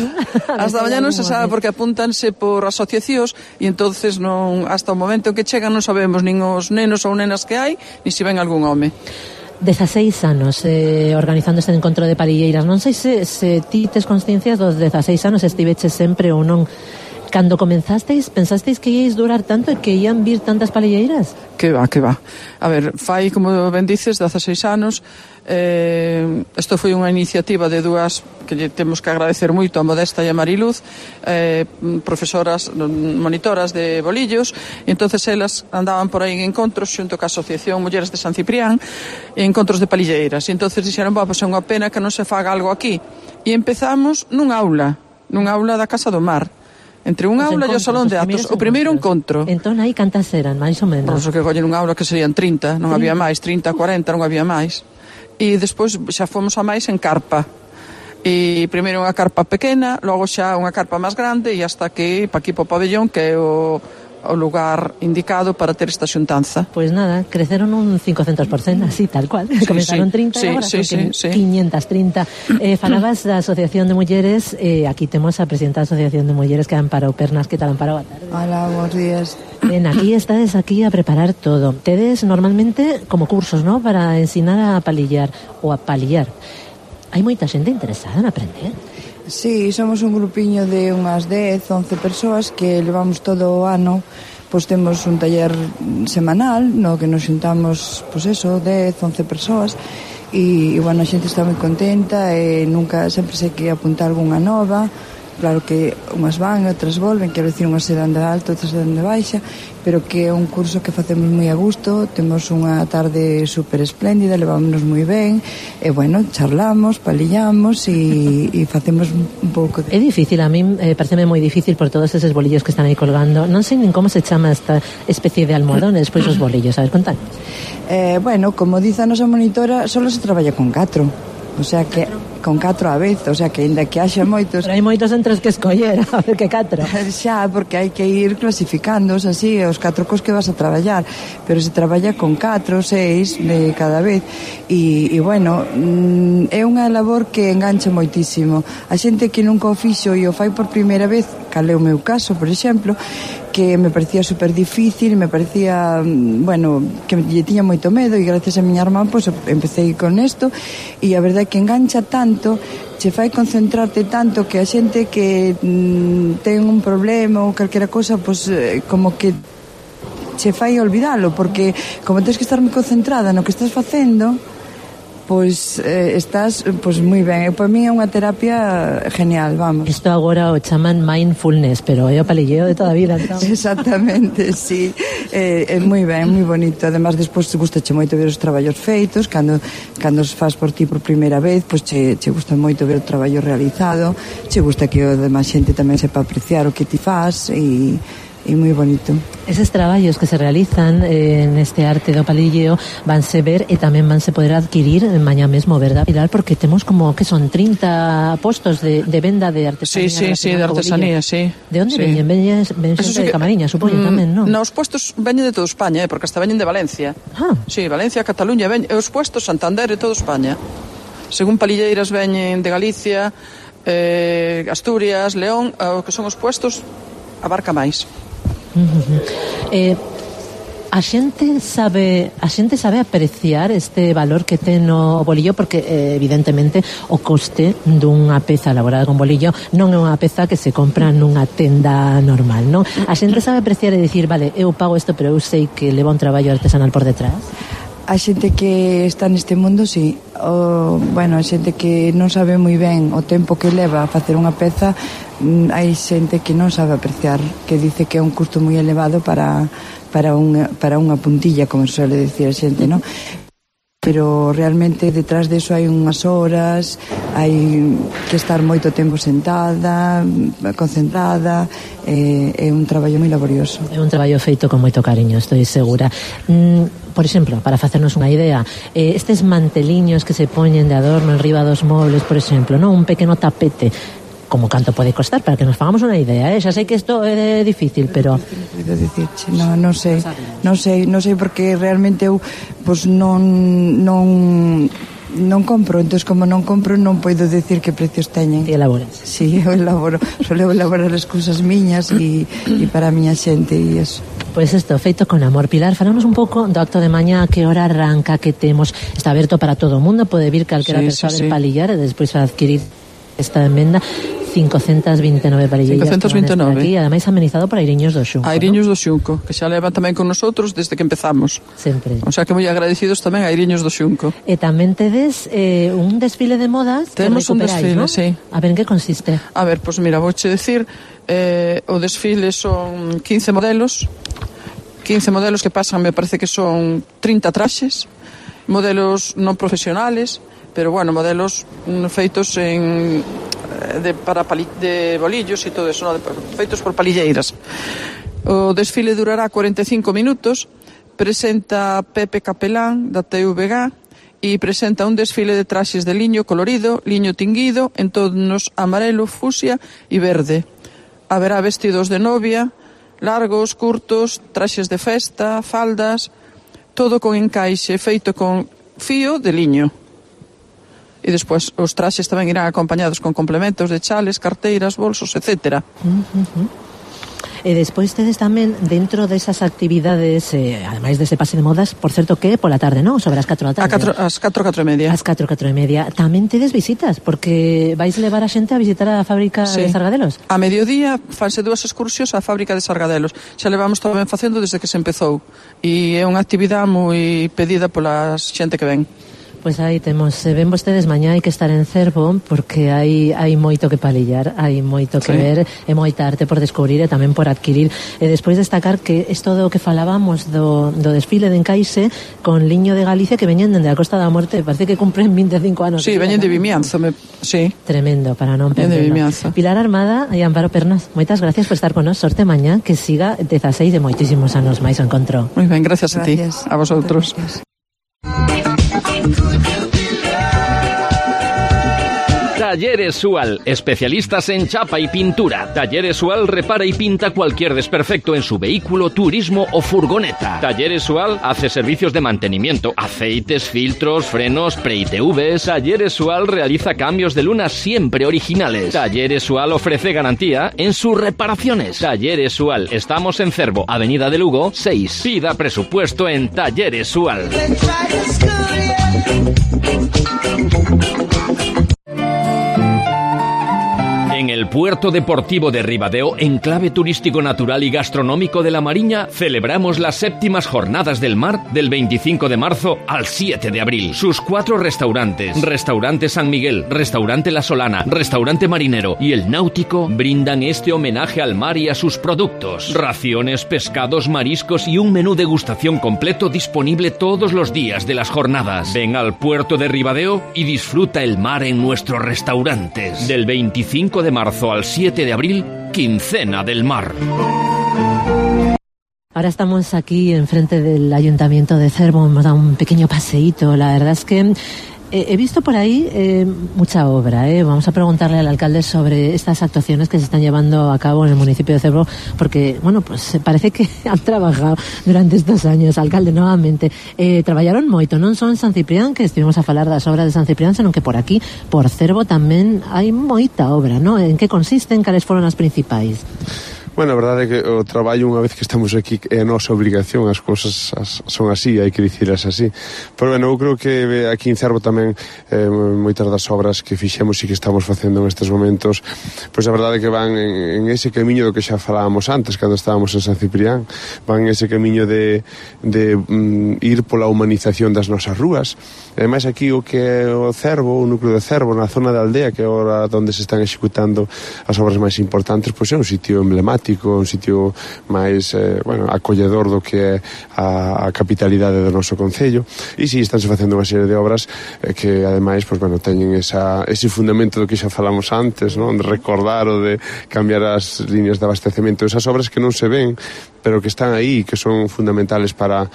Hasta mañá non se sabe, porque apúntanse por asociacións e entonces non, hasta o momento que chegan non sabemos nin os nenos ou nenas que hai, ni se ven algún home. 16 anos organizando este encontro de palilleiras. Non sei se ti tes consciencias dos 16 anos, estiveches sempre ou non. Cando comenzasteis, pensasteis que íais durar tanto e que ían vir tantas palilleiras? Que va. A ver, fai, como ben dices, 16 anos. Isto foi unha iniciativa de dúas que lle temos que agradecer moito, a Modesta e a Mariluz, profesoras, monitoras de bolillos, e entonces elas andaban por aí en encontros xunto ca Asociación Mulleres de San Ciprián, encontros de palilleiras, e entonces dixeron, pois é unha pena que non se faga algo aquí, e empezamos nunha aula. nunha aula da Casa do Mar. Entre unha aula e o salón de actos, o primeiro encontro. Entón, aí cantas eran, máis ou menos? Pois o que collen unha aula que serían 30, non había máis, 30, 40, non había máis. E despois xa fomos a máis en carpa. E primeiro unha carpa pequena, logo xa unha carpa máis grande e hasta que pa aquí po pabellón, que é o lugar indicado para ter esta xuntanza. Pois nada, creceron un 500%, así, tal cual. Comenzaron 30 e agora son 530. Falabas da Asociación de Mulleres, aquí temos a presidenta da Asociación de Mulleres, que é Amparo Pernas. Que tal, Amparo? Boa tarde. Hola, bons días. Ben, aquí estades aquí a preparar todo. Tedes normalmente como cursos, ¿no?, para ensinar a palillar ou a palillar. Hai moita xente interesada en aprender. Sí, somos un grupiño de unhas 10, 11 persoas que levamos todo o ano, pois temos un taller semanal no que nos xuntamos, pois eso, 10, 11 persoas e bueno, a xente está moi contenta e nunca, sempre sei que apuntar algunha nova. Claro que unhas van e outras volven, quero dicir, unhas se dan de alto, outras se dan de baixa, pero que é un curso que facemos moi a gusto, temos unha tarde super espléndida, levámonos moi ben, e bueno, charlamos, palillamos e facemos un pouco de... É difícil, a min pareceme moi difícil por todos eses bolillos que están aí colgando. Non sei nin como se chama esta especie de almohadón e despois os bolillos, a ver, contanos. Bueno, como dice a nosa monitora, só se traballa con 4. O sea que con 4 a vez, o sea que ainda que haxa moitos... Pero hai moitos entre os que escoller, a ver que 4. Xa, porque hai que ir clasificándoos así, os 4 cos que vas a traballar, pero se traballa con 4, 6 de cada vez, e bueno, é unha labor que engancha moitísimo. A xente que nunca o fixo e o fai por primeira vez, cal é o meu caso, por exemplo, que me parecía super difícil, me parecía, bueno, que lle tiña moito medo, e gracias a miña irmán, pois, empecé con isto, e a verdade é que engancha tanto, che fai concentrarte tanto, que a xente que ten un problema ou calquera cosa, pois, como que che fai olvidalo, porque como tens que estar moi concentrada no que estás facendo, pois estás pois moi ben. Para mí é unha terapia genial, vamos. Isto agora o chaman mindfulness, pero é o palilleo de toda a vida, entón. Exactamente, sí. É moi ben, moi bonito. Además, despois gustache moito ver os traballos feitos, cando os faz por ti por primeira vez, pois che gusta moito ver o traballo realizado, che gusta que o demais xente tamén sepa apreciar o que ti faz e moi bonito. Eses traballos que se realizan neste arte do palilleo vanse ver e tamén vanse poder adquirir mañá mesmo, verdad, Pilar? Porque temos como que son 30 postos de venda de artesanía. Sí, de artesanía, sí. De onde veñen? Veñen xente de Camariña, supoño, tamén, non? Os postos veñen de toda España, porque hasta veñen de Valencia. Sí, Valencia, Cataluña, veñen, os postos Santander e toda España. Según palilleiras veñen de Galicia, Asturias, León, o que son os postos abarca máis. A xente sabe apreciar este valor que ten o bolillo, porque evidentemente o coste dunha peza elaborada con bolillo non é unha peza que se compra nunha tenda normal, non? A xente sabe apreciar e dicir, vale, eu pago isto, pero eu sei que leva un traballo artesanal por detrás. A xente que está neste mundo, sí. Bueno, a xente que non sabe moi ben o tempo que leva a facer unha peza, hai xente que non sabe apreciar, que dice que é un custo moi elevado para unha puntilla, como se suele decir a xente, non? Pero realmente detrás deso hai unhas horas, hai que estar moito tempo sentada, concentrada, é un traballo moi laborioso. É un traballo feito con moito cariño, estou segura. Por exemplo, para facernos unha idea, estes manteliños que se poñen de adorno en riba dos mobles, por exemplo, non, un pequeno tapete, como canto pode costar, para que nos fagamos unha idea, xa sei que isto é difícil, pero... Non sei, porque realmente eu pois non compro, entón como non compro non podo decir que precios teñen. Ti elaboras? Sí, eu elaboro, soleo elaborar as cousas miñas e para a miña xente e eso. Pois isto, feito con amor. Pilar, falamos un pouco do acto de mañá, a que hora arranca, que temos, está aberto para todo o mundo, pode vir calquera persoa del palillar e despois adquirir esta emenda. 529 palilleiras 529 aquí, ademais amenizado por Airiños do Xunco. Airiños do Xunco, que xa levan tamén con nosotros desde que empezamos. Sempre. O sea que moi agradecidos tamén a Airiños do Xunco. E tamén tedes un desfile de modas que temos un desfile, ¿no? Sí. A ver, en que consiste? A ver, pois mira, vouche decir, o desfile son 15 modelos que pasan, me parece que son 30 traxes, modelos non profesionales, pero bueno, modelos feitos de bolillos e todo eso, feitos por palilleiras. O desfile durará 45 minutos. Presenta Pepe Capelán da TVG e presenta un desfile de traxes de liño colorido, liño tinguido, en tonos amarelo, fucsia e verde. Haberá vestidos de novia, largos, curtos, traxes de festa, faldas, todo con encaixe feito con fío de liño. E despois os traxes tamén irán acompañados con complementos de chales, carteiras, bolsos, etc. E despois tedes tamén dentro desas actividades, ademais dese pase de modas, por certo que pola tarde, non? Sobre as 4 da tarde. As 4 e media. As 4 e media. Tamén tedes visitas, porque vais levar a xente a visitar a fábrica de Sargadelos. A mediodía fanse 2 excursións á fábrica de Sargadelos. Xa levamos tamén facendo desde que se empezou. E é unha actividade moi pedida pola xente que ven. Pois aí temos, ven vostedes mañá hai que estar en Cervo porque hai moito que palillar, hai moito que ver e moita arte por descubrir e tamén por adquirir. E despois destacar que isto do que falábamos do desfile de encaixe con liño de Galicia que veñen dende a Costa da Morte, parece que cumpren 25 anos. Sí, veñen de Vimianzo, sí. Tremendo, para non perderlo. Pilar Armada e Amparo Pernas, moitas gracias por estar con nós, sorte mañá que siga 16 de moitísimos anos máis o encontro. Moi ben, gracias a ti, a vosotros. Talleres Sual, especialistas en chapa y pintura. Talleres Sual repara y pinta cualquier desperfecto en su vehículo, turismo o furgoneta. Talleres Sual hace servicios de mantenimiento, aceites, filtros, frenos, pre-ITVs. Talleres Sual realiza cambios de lunas siempre originales. Talleres Sual ofrece garantía en sus reparaciones. Talleres Sual, estamos en Cervo, Avenida de Lugo, 6. Pida presupuesto en Talleres Sual. En el puerto deportivo de Ribadeo, enclave turístico natural y gastronómico de la Mariña, celebramos las 7ª Jornadas del Mar del 25 de marzo al 7 de abril. Sus 4 restaurantes, Restaurante San Miguel, Restaurante La Solana, Restaurante Marinero y El Náutico, brindan este homenaje al mar y a sus productos. Raciones, pescados, mariscos y un menú degustación completo disponible todos los días de las jornadas. Ven al puerto de Ribadeo y disfruta el mar en nuestros restaurantes. Del 25 de marzo al 7 de abril, Quincena del Mar. Ahora estamos aquí enfrente del Ayuntamiento de Cervo, hemos dado un pequeño paseíto. La verdad es que he visto por ahí mucha obra. Vamos a preguntarle al alcalde sobre estas actuaciones que se están llevando a cabo en el municipio de Cervo, porque, bueno, pues parece que han trabajado durante estos años. Alcalde, novamente, traballaron moito, non só en San Ciprián, que estuvimos a falar das obras de San Ciprián, senón que por aquí, por Cervo, tamén hai moita obra, non? En que consisten, cales foron as principais? Bueno, a verdade é que o traballo, unha vez que estamos aquí, é a nosa obrigación, as cousas son así, hai que dicilas así. Pero, bueno, eu creo que aquí en Cervo tamén moitas das obras que fixemos e que estamos facendo nestes momentos, pois a verdade é que van en ese camiño do que xa falábamos antes, cando estábamos en San Ciprián, van en ese camiño de ir pola humanización das nosas rúas. E ademais aquí o que é o Cervo, o núcleo de Cervo, na zona da aldea, que é ahora onde se están executando as obras máis importantes, pois é un sitio emblemático, un sitio máis acolledor do que é a capitalidade do noso concello. E si, estánse facendo unha serie de obras que ademais teñen ese fundamento do que xa falamos antes, non? De recordar ou de cambiar as líneas de abastecemento, esas obras que non se ven pero que están aí, que son fundamentales para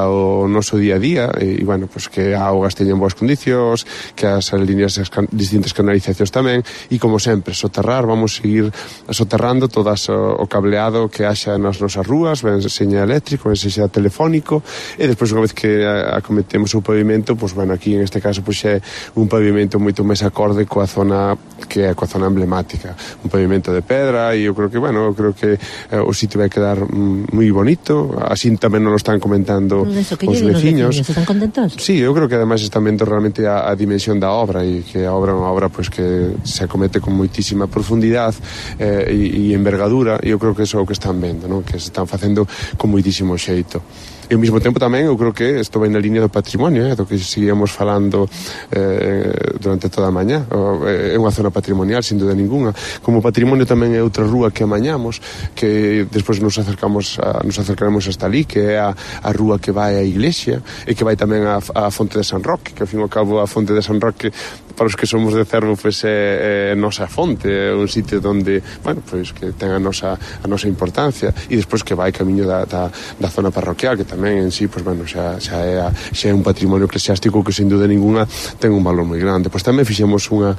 o noso día a día, e que a augas teñen boas condicións, que as líneas, as distintas canalizacións tamén, e como sempre, soterrar, vamos seguir soterrando todas o cableado que haxa nas nosas rúas, ben seña eléctrico, ben seña telefónico, e despois unha vez que acometemos o pavimento, aquí en este caso é un pavimento moito máis acorde coa zona que é coa zona emblemática, un pavimento de pedra, e eu creo que o sitio vai quedar moi bonito, así tamén nos lo están comentando os veciños. ¿Están contentos? Sí, eu creo que ademais están vendo realmente a dimensión da obra, e que a obra é unha obra que se acomete con moitísima profundidade e envergadura, cultura, e eu creo que iso é o que están vendo, non? Que se están facendo con moitísimo xeito. E ao mesmo tempo tamén eu creo que isto vai na línea do patrimonio, do que seguíamos falando durante toda a mañá. É unha zona patrimonial, sin duda ninguna. Como patrimonio tamén é outra rúa que amañamos, que despois nos acercaremos hasta ali, que é a rúa que vai á iglesia e que vai tamén á Fonte de San Roque, que ao fin e ao cabo a Fonte de San Roque, para os que somos de Cervo, pois é nosa fonte, é un sitio onde, bueno, pois que ten a nosa importancia, e despois que vai camiño da zona parroquial, que tamén en sí, pois bueno, xa é un patrimonio eclesiástico que sin duda ninguna ten un valor moi grande. Pois tamén fixemos unha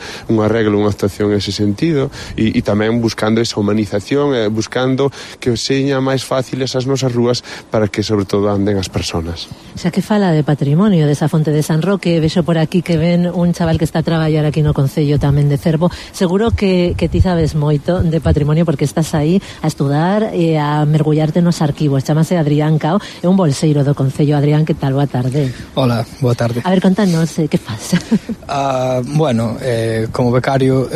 regla, unha actuación en ese sentido, e tamén buscando esa humanización, buscando que seña máis fáciles as nosas rúas para que sobre todo anden as personas. Xa que fala de patrimonio desa Fonte de San Roque, vexo por aquí que ven un chaval que está a traballar aquí no Concello tamén de Cervo. Seguro que ti sabes moito de patrimonio porque estás aí a estudar e a mergullarte nos arquivos. Chámase Adrián Cao, é un bolseiro do Concello. Adrián, que tal? Boa tarde. Hola, boa tarde. A ver, contanos, que faz? Bueno, como becario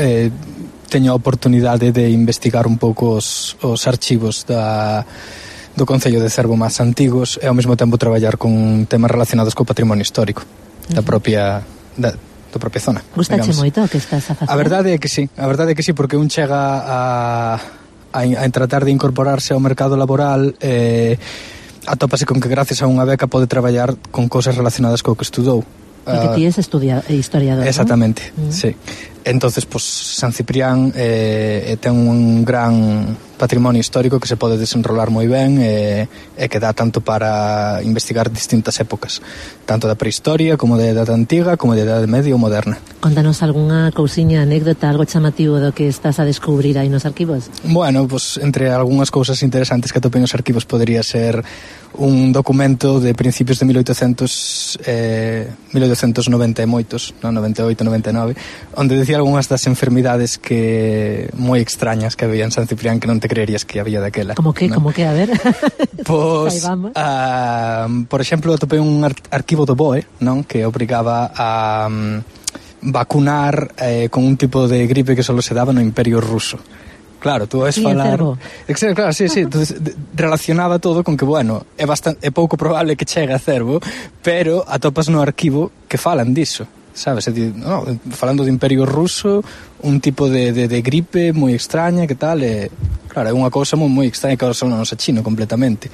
teño a oportunidade de investigar un pouco os archivos do Concello de Cervo máis antigos e ao mesmo tempo traballar con temas relacionados co patrimonio histórico da propia zona. Gustache moito o que estás a facer? A verdade é que sí, porque un chega a tratar de incorporarse ao mercado laboral, atópase con que gracias a unha beca pode traballar con cousas relacionadas co que estudou. Porque ti és historiador, exactamente, ¿no? Sí. Entonces, pues, San Ciprián ten un gran patrimonio histórico que se pode desenrolar moi ben e que dá tanto para investigar distintas épocas, tanto da prehistoria como da Edade Antiga, como da Edade Media ou Moderna. Contanos algunha cousiña, anécdota, algo chamativo do que estás a descubrir aí nos arquivos? Bueno, pues, entre algunhas cousas interesantes que atopei nos arquivos podría ser un documento de principios de 1890 e moitos, 98, 99, onde decía algunhas das enfermidades que moi extrañas que había en San Ciprián que non te creerías que había daquela. Como que, a ver? Pois, por exemplo, atopei un arquivo do BOE, non? Que obrigaba a vacunar con un tipo de gripe que só se daba no Imperio Ruso. Claro, tú vas falar... Claro, sí, relacionaba todo con que, bueno, é pouco probable que chegue a Cervo, pero atopas no arquivo que falan diso, sabes? Falando de Imperio Ruso, un tipo de gripe moi extraña, que tal, claro, é unha cousa moi extraña que ahora son a chino completamente.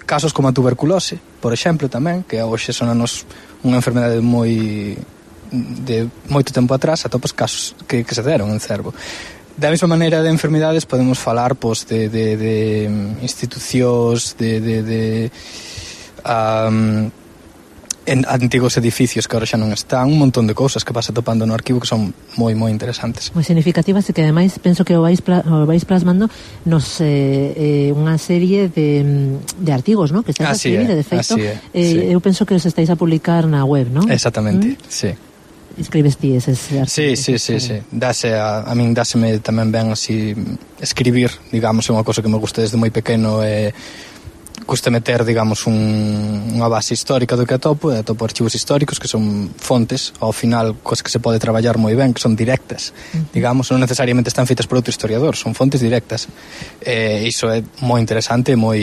Casos como a tuberculose, por exemplo, tamén, que hoxe son unha enfermedade de moito tempo atrás, atopas casos que se deron en Cervo. Da mesma maneira de enfermidades podemos falar pois, de institucións, en antigos edificios que ahora xa non están, un montón de cousas que vas atopando no arquivo que son moi significativas e que ademais penso que o vais plasmando nos unha serie de artigos, ¿no? Que estáis a escribir, de feito eu penso que os estáis a publicar na web, ¿no? Exactamente, sí. Escribes ti eses artigos? Sí. A min dáseme tamén ben así escribir, digamos, é unha cosa que me gusta desde moi pequeno e gusta meter, digamos, unha base histórica do que atopo archivos históricos que son fontes, ao final, cosas que se pode traballar moi ben, que son directas, digamos, non necesariamente están feitas por outro historiador, son fontes directas. Iso é moi interesante, moi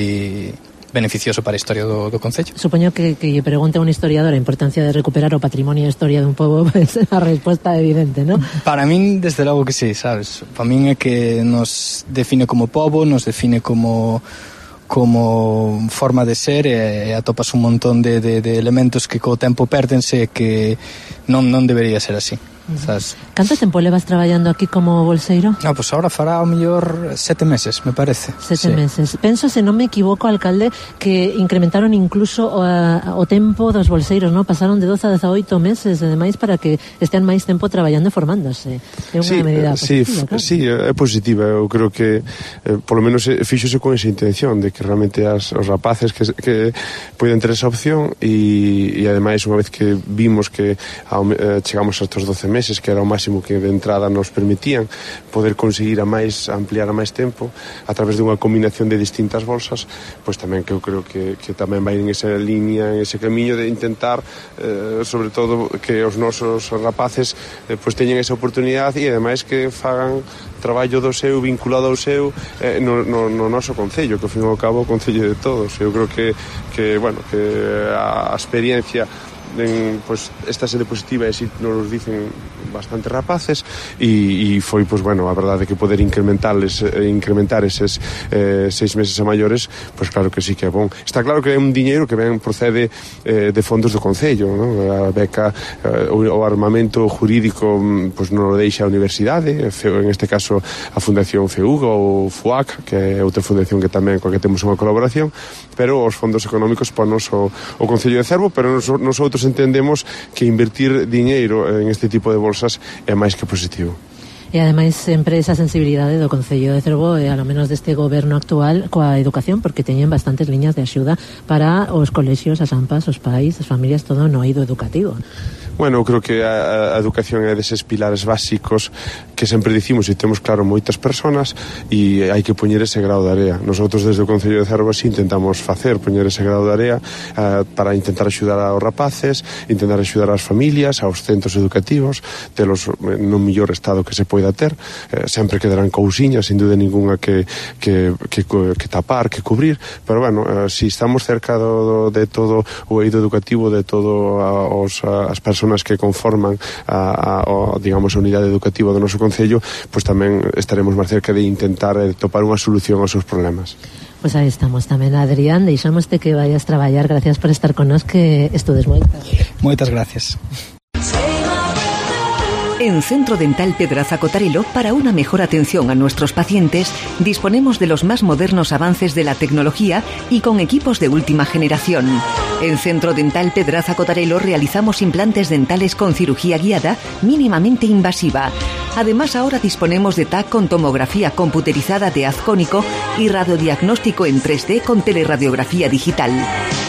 beneficioso para a historia do Concello. Supoño que lle pregunte a un historiador a importancia de recuperar o patrimonio e a historia dun pobo, pues, a resposta é evidente, ¿no? Para min, desde logo que sí, sabes? Para min é que nos define como pobo, nos define como forma de ser e atopas un montón de elementos que co tempo pérdense e que non debería ser así. ¿Sabes? Canto tempo levas traballando aquí como bolseiro? Pues ahora fará ao mellor 7 meses, me parece. 7 meses. Penso, se non me equivoco, alcalde, que incrementaron incluso o tempo dos bolseiros, ¿no? Pasaron de 12 a 18 meses, ademais, para que estean máis tempo traballando e formándose. É unha medida positiva, claro. Sí, é positiva. Eu creo que, polo menos, fíxose con esa intención de que realmente os rapaces que poden ter esa opción e ademais, unha vez que vimos que chegamos a estos 12 meses, meses, que era o máximo que de entrada nos permitían, poder conseguir ampliar a máis tempo a través dunha combinación de distintas bolsas, pois tamén que eu creo que tamén vai en esa línea, en ese camiño de intentar sobre todo que os nosos rapaces pois teñen esa oportunidade e ademais que fagan traballo do seu, vinculado ao seu no noso concello, que ao fin e ao cabo o concello de todos. Eu creo que a experiencia pues esta sede positiva e así nos dicen bastante rapaces e foi, pues bueno, a verdade que poder incrementar eses 6 meses a maiores, pues claro que sí que é bon. Está claro que é un diñeiro que procede de fondos do concello, ¿no? A beca, o armamento jurídico pues non o deixa a universidade, en este caso a Fundación FEUG ou FUAC, que é outra fundación que tamén coa que temos unha colaboración, pero os fondos económicos ponos o Concello de Cervo, pero nosotros entendemos que invertir diñeiro en este tipo de bolsas é máis que positivo. E ademais sempre esa sensibilidade do Concello de Cervo e ao menos deste goberno actual coa educación, porque teñen bastantes liñas de axuda para os colexios, as AMPAs, os pais, as familias, todo no eido educativo. Bueno, eu creo que a educación é deses pilares básicos que sempre dicimos e temos claro moitas personas e hai que poñer ese grau de area. Nosotros desde o Concello de Cervo así intentamos poñer ese grau de area para intentar axudar aos rapaces, intentar axudar ás familias, aos centros educativos, telos no mellor estado que se poida ter. Sempre quedarán cousiñas, sin duda ninguna que tapar, que cubrir, pero bueno, si estamos cerca de todo o eido educativo, de todo as personas que conforman digamos, a unidade educativa do noso Concello, pois tamén estaremos máis cerca de intentar topar unha solución aos seus problemas. Pois aí estamos tamén, Adrián, deixámoste que vayas traballar, gracias por estar con nós, que estudes moitas. Moitas gracias. En Centro Dental Pedraza Cotarelo, para una mejor atención a nuestros pacientes, disponemos de los más modernos avances de la tecnología y con equipos de última generación. En Centro Dental Pedraza Cotarelo realizamos implantes dentales con cirugía guiada mínimamente invasiva. Además, ahora disponemos de TAC con tomografía computerizada de haz cónico y radiodiagnóstico en 3D con teleradiografía digital.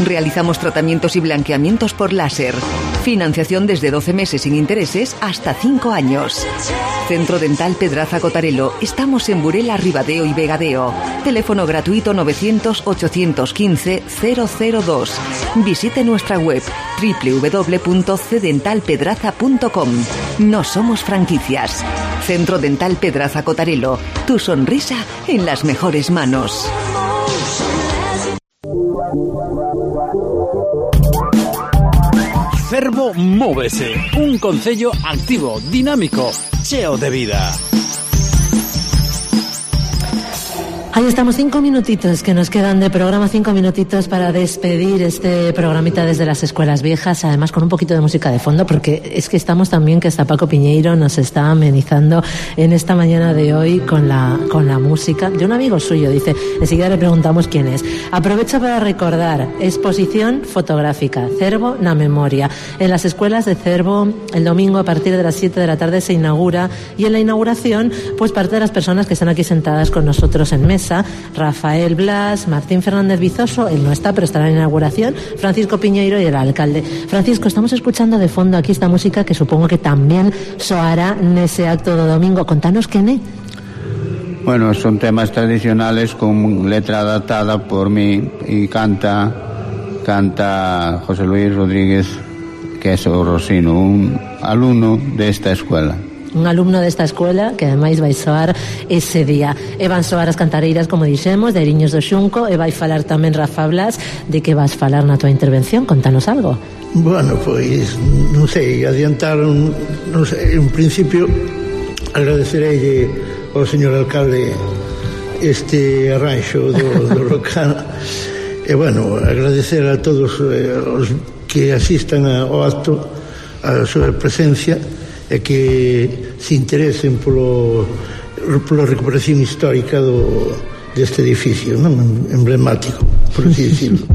Realizamos tratamientos y blanqueamientos por láser. Financiación desde 12 meses sin intereses hasta 5 años. Centro Dental Pedraza Cotarelo. Estamos en Burela, Ribadeo y Vegadeo. Teléfono gratuito 900-815-002. Visite nuestra web www.cdentalpedraza.com. No somos franquicias. Centro Dental Pedraza Cotarelo. Tu sonrisa en las mejores manos. Cervo Móvese, un concello activo, dinámico, cheo de vida. Ahí estamos, 5 minutitos que nos quedan de programa, 5 minutitos para despedir este programita desde las escuelas viejas, además con un poquito de música de fondo, porque es que estamos también, que hasta Paco Piñeiro nos está amenizando en esta mañana de hoy con la música de un amigo suyo. Dice, enseguida le preguntamos quién es. Aprovecho para recordar, exposición fotográfica, Cervo na Memoria. En las escuelas de Cervo, el domingo a partir de las 7 de la tarde se inaugura, y en la inauguración, pues parte de las personas que están aquí sentadas con nosotros en mesa, Rafael Blas, Martín Fernández Vizoso, él no está, pero estará en la inauguración, Francisco Piñeiro y el alcalde. Francisco, estamos escuchando de fondo aquí esta música que supongo que también soará en ese acto de domingo. Contanos quién es. Bueno, son temas tradicionales con letra adaptada por mí y canta José Luis Rodríguez, que es o Rosino, un alumno de esta escuela. Un alumno desta escuela que ademais vai soar ese día. E van soar as cantareiras, como dixemos, de Eriños do Xunco, e vai falar tamén Rafa Blas. De que vas falar na tua intervención? Contanos algo. Bueno, pois, non sei, adiantaron, non sei, en principio agradecerei ao señor alcalde este arranxo do local, e bueno, agradecer a todos os que asistan ao acto, a súa presencia, e que se interesen pola recuperación histórica deste edificio, non? Emblemático, por así decirlo.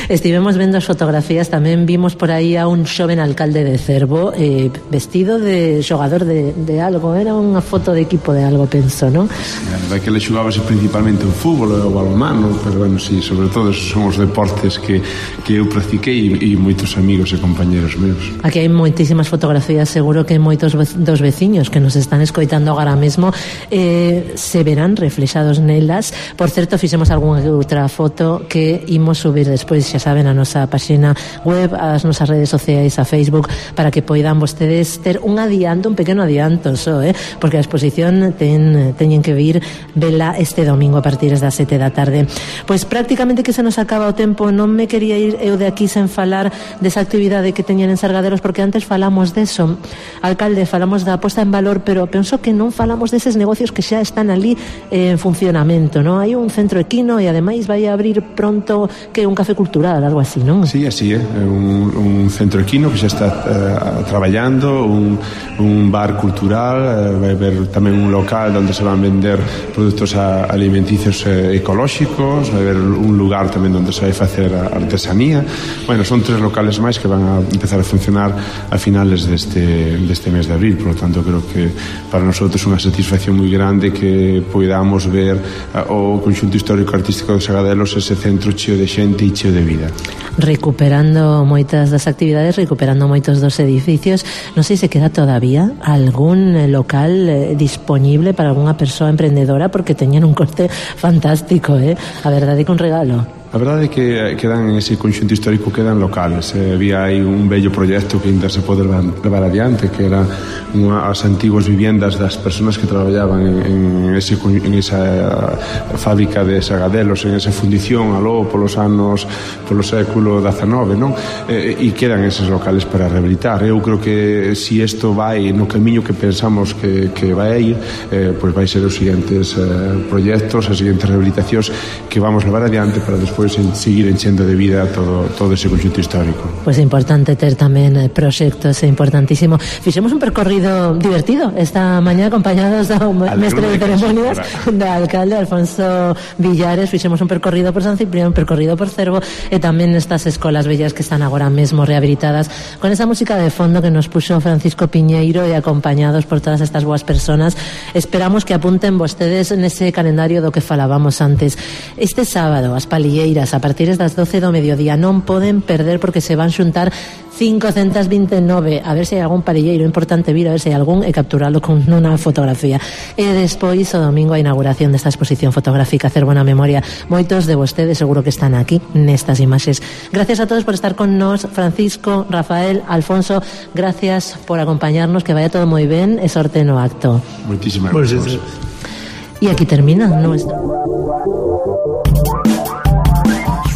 Estivemos vendo as fotografías, tamén vimos por aí a un xoven alcalde de Cervo vestido de xogador de algo, era unha foto de equipo de algo, penso, non? A verdade que ele xogábase principalmente o fútbol e o balonmano, pero bueno, sí, sobre todo esos son os deportes que eu practiquei e moitos amigos e compañeros meus. Aquí hai moitísimas fotografías, seguro que moitos dos veciños que nos están escoitando agora mesmo se verán reflexados nelas. Por certo, fixemos algunha outra foto que imos subir despois, xa saben, a nosa páxina web, as nosas redes sociais, a Facebook, para que poidan vostedes ter un pequeno adianto só, porque a exposición teñen que vir vela este domingo a partir das 7 da tarde. Pois prácticamente que se nos acaba o tempo, non me quería ir eu de aquí sen falar desa actividade que teñen en Sargadelos, porque antes falamos deso, alcalde, falamos da posta en valor, pero penso que non falamos deses negocios que xa están ali en funcionamento, non? Hai un centro equino e ademais vai a abrir pronto que un café cultural, algo así, non? Sí, así é, un centro equino que xa está traballando, un bar cultural, vai haber tamén un local onde se van vender produtos alimenticios ecolóxicos, vai haber un lugar tamén onde se vai facer artesanía. Bueno, son 3 locales máis que van a empezar a funcionar a finales deste mes de abril, por lo tanto creo que para nosotros é unha satisfacción moi grande que podamos ver o conxunto histórico-artístico de Sargadelos, ese centro cheo de xente e cheo de vida. Recuperando moitas das actividades, recuperando moitos dos edificios. Non sei se queda todavía algún local disponible para algunha persoa emprendedora, porque teñen un coste fantástico, a verdade que un regalo. A verdade é que quedan en ese conxunto histórico, quedan locales. Había aí un bello proxecto que ainda se pode levar adiante, que era as antiguas viviendas das persoas que traballaban en esa fábrica de Sargadelos, en esa fundición aló polo século XIX, non? E quedan eses locales para rehabilitar. Eu creo que se isto vai no camiño que pensamos que vai a ir, pois vai ser os seguintes proxectos, as seguintes rehabilitacións que vamos levar adiante para despois seguir enchendo de vida todo ese conxunto histórico. Pois é importante ter tamén proxectos, é importantísimo. Fixemos un percorrido divertido esta mañá acompañados do mestre de ceremonias do alcalde Alfonso Villares. Fixemos un percorrido por San Ciprián, un percorrido por Cervo e tamén estas escolas bellas que están agora mesmo rehabilitadas con esa música de fondo que nos puxo Francisco Piñeiro e acompañados por todas estas boas personas. Esperamos que apunten vostedes nese calendario do que falábamos antes. Este sábado, as palilleiras a partir das 12 do mediodía non poden perder, porque se van xuntar 529, a ver se hai algún palilleiro importante vir, a ver se hai algún e capturalo con unha fotografía. E despois o domingo a inauguración desta exposición fotográfica Cervo na Memoria. Moitos de vostedes seguro que están aquí nestas imaxes. Gracias a todos por estar con nós, Francisco, Rafael, Alfonso, gracias por acompañarnos, que vaya todo moi ben e sorte no acto. Moitísimas gracias. E aquí termina nuestro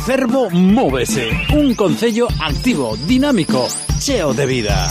Cervo Móvese, un concello activo, dinámico, cheo de vida.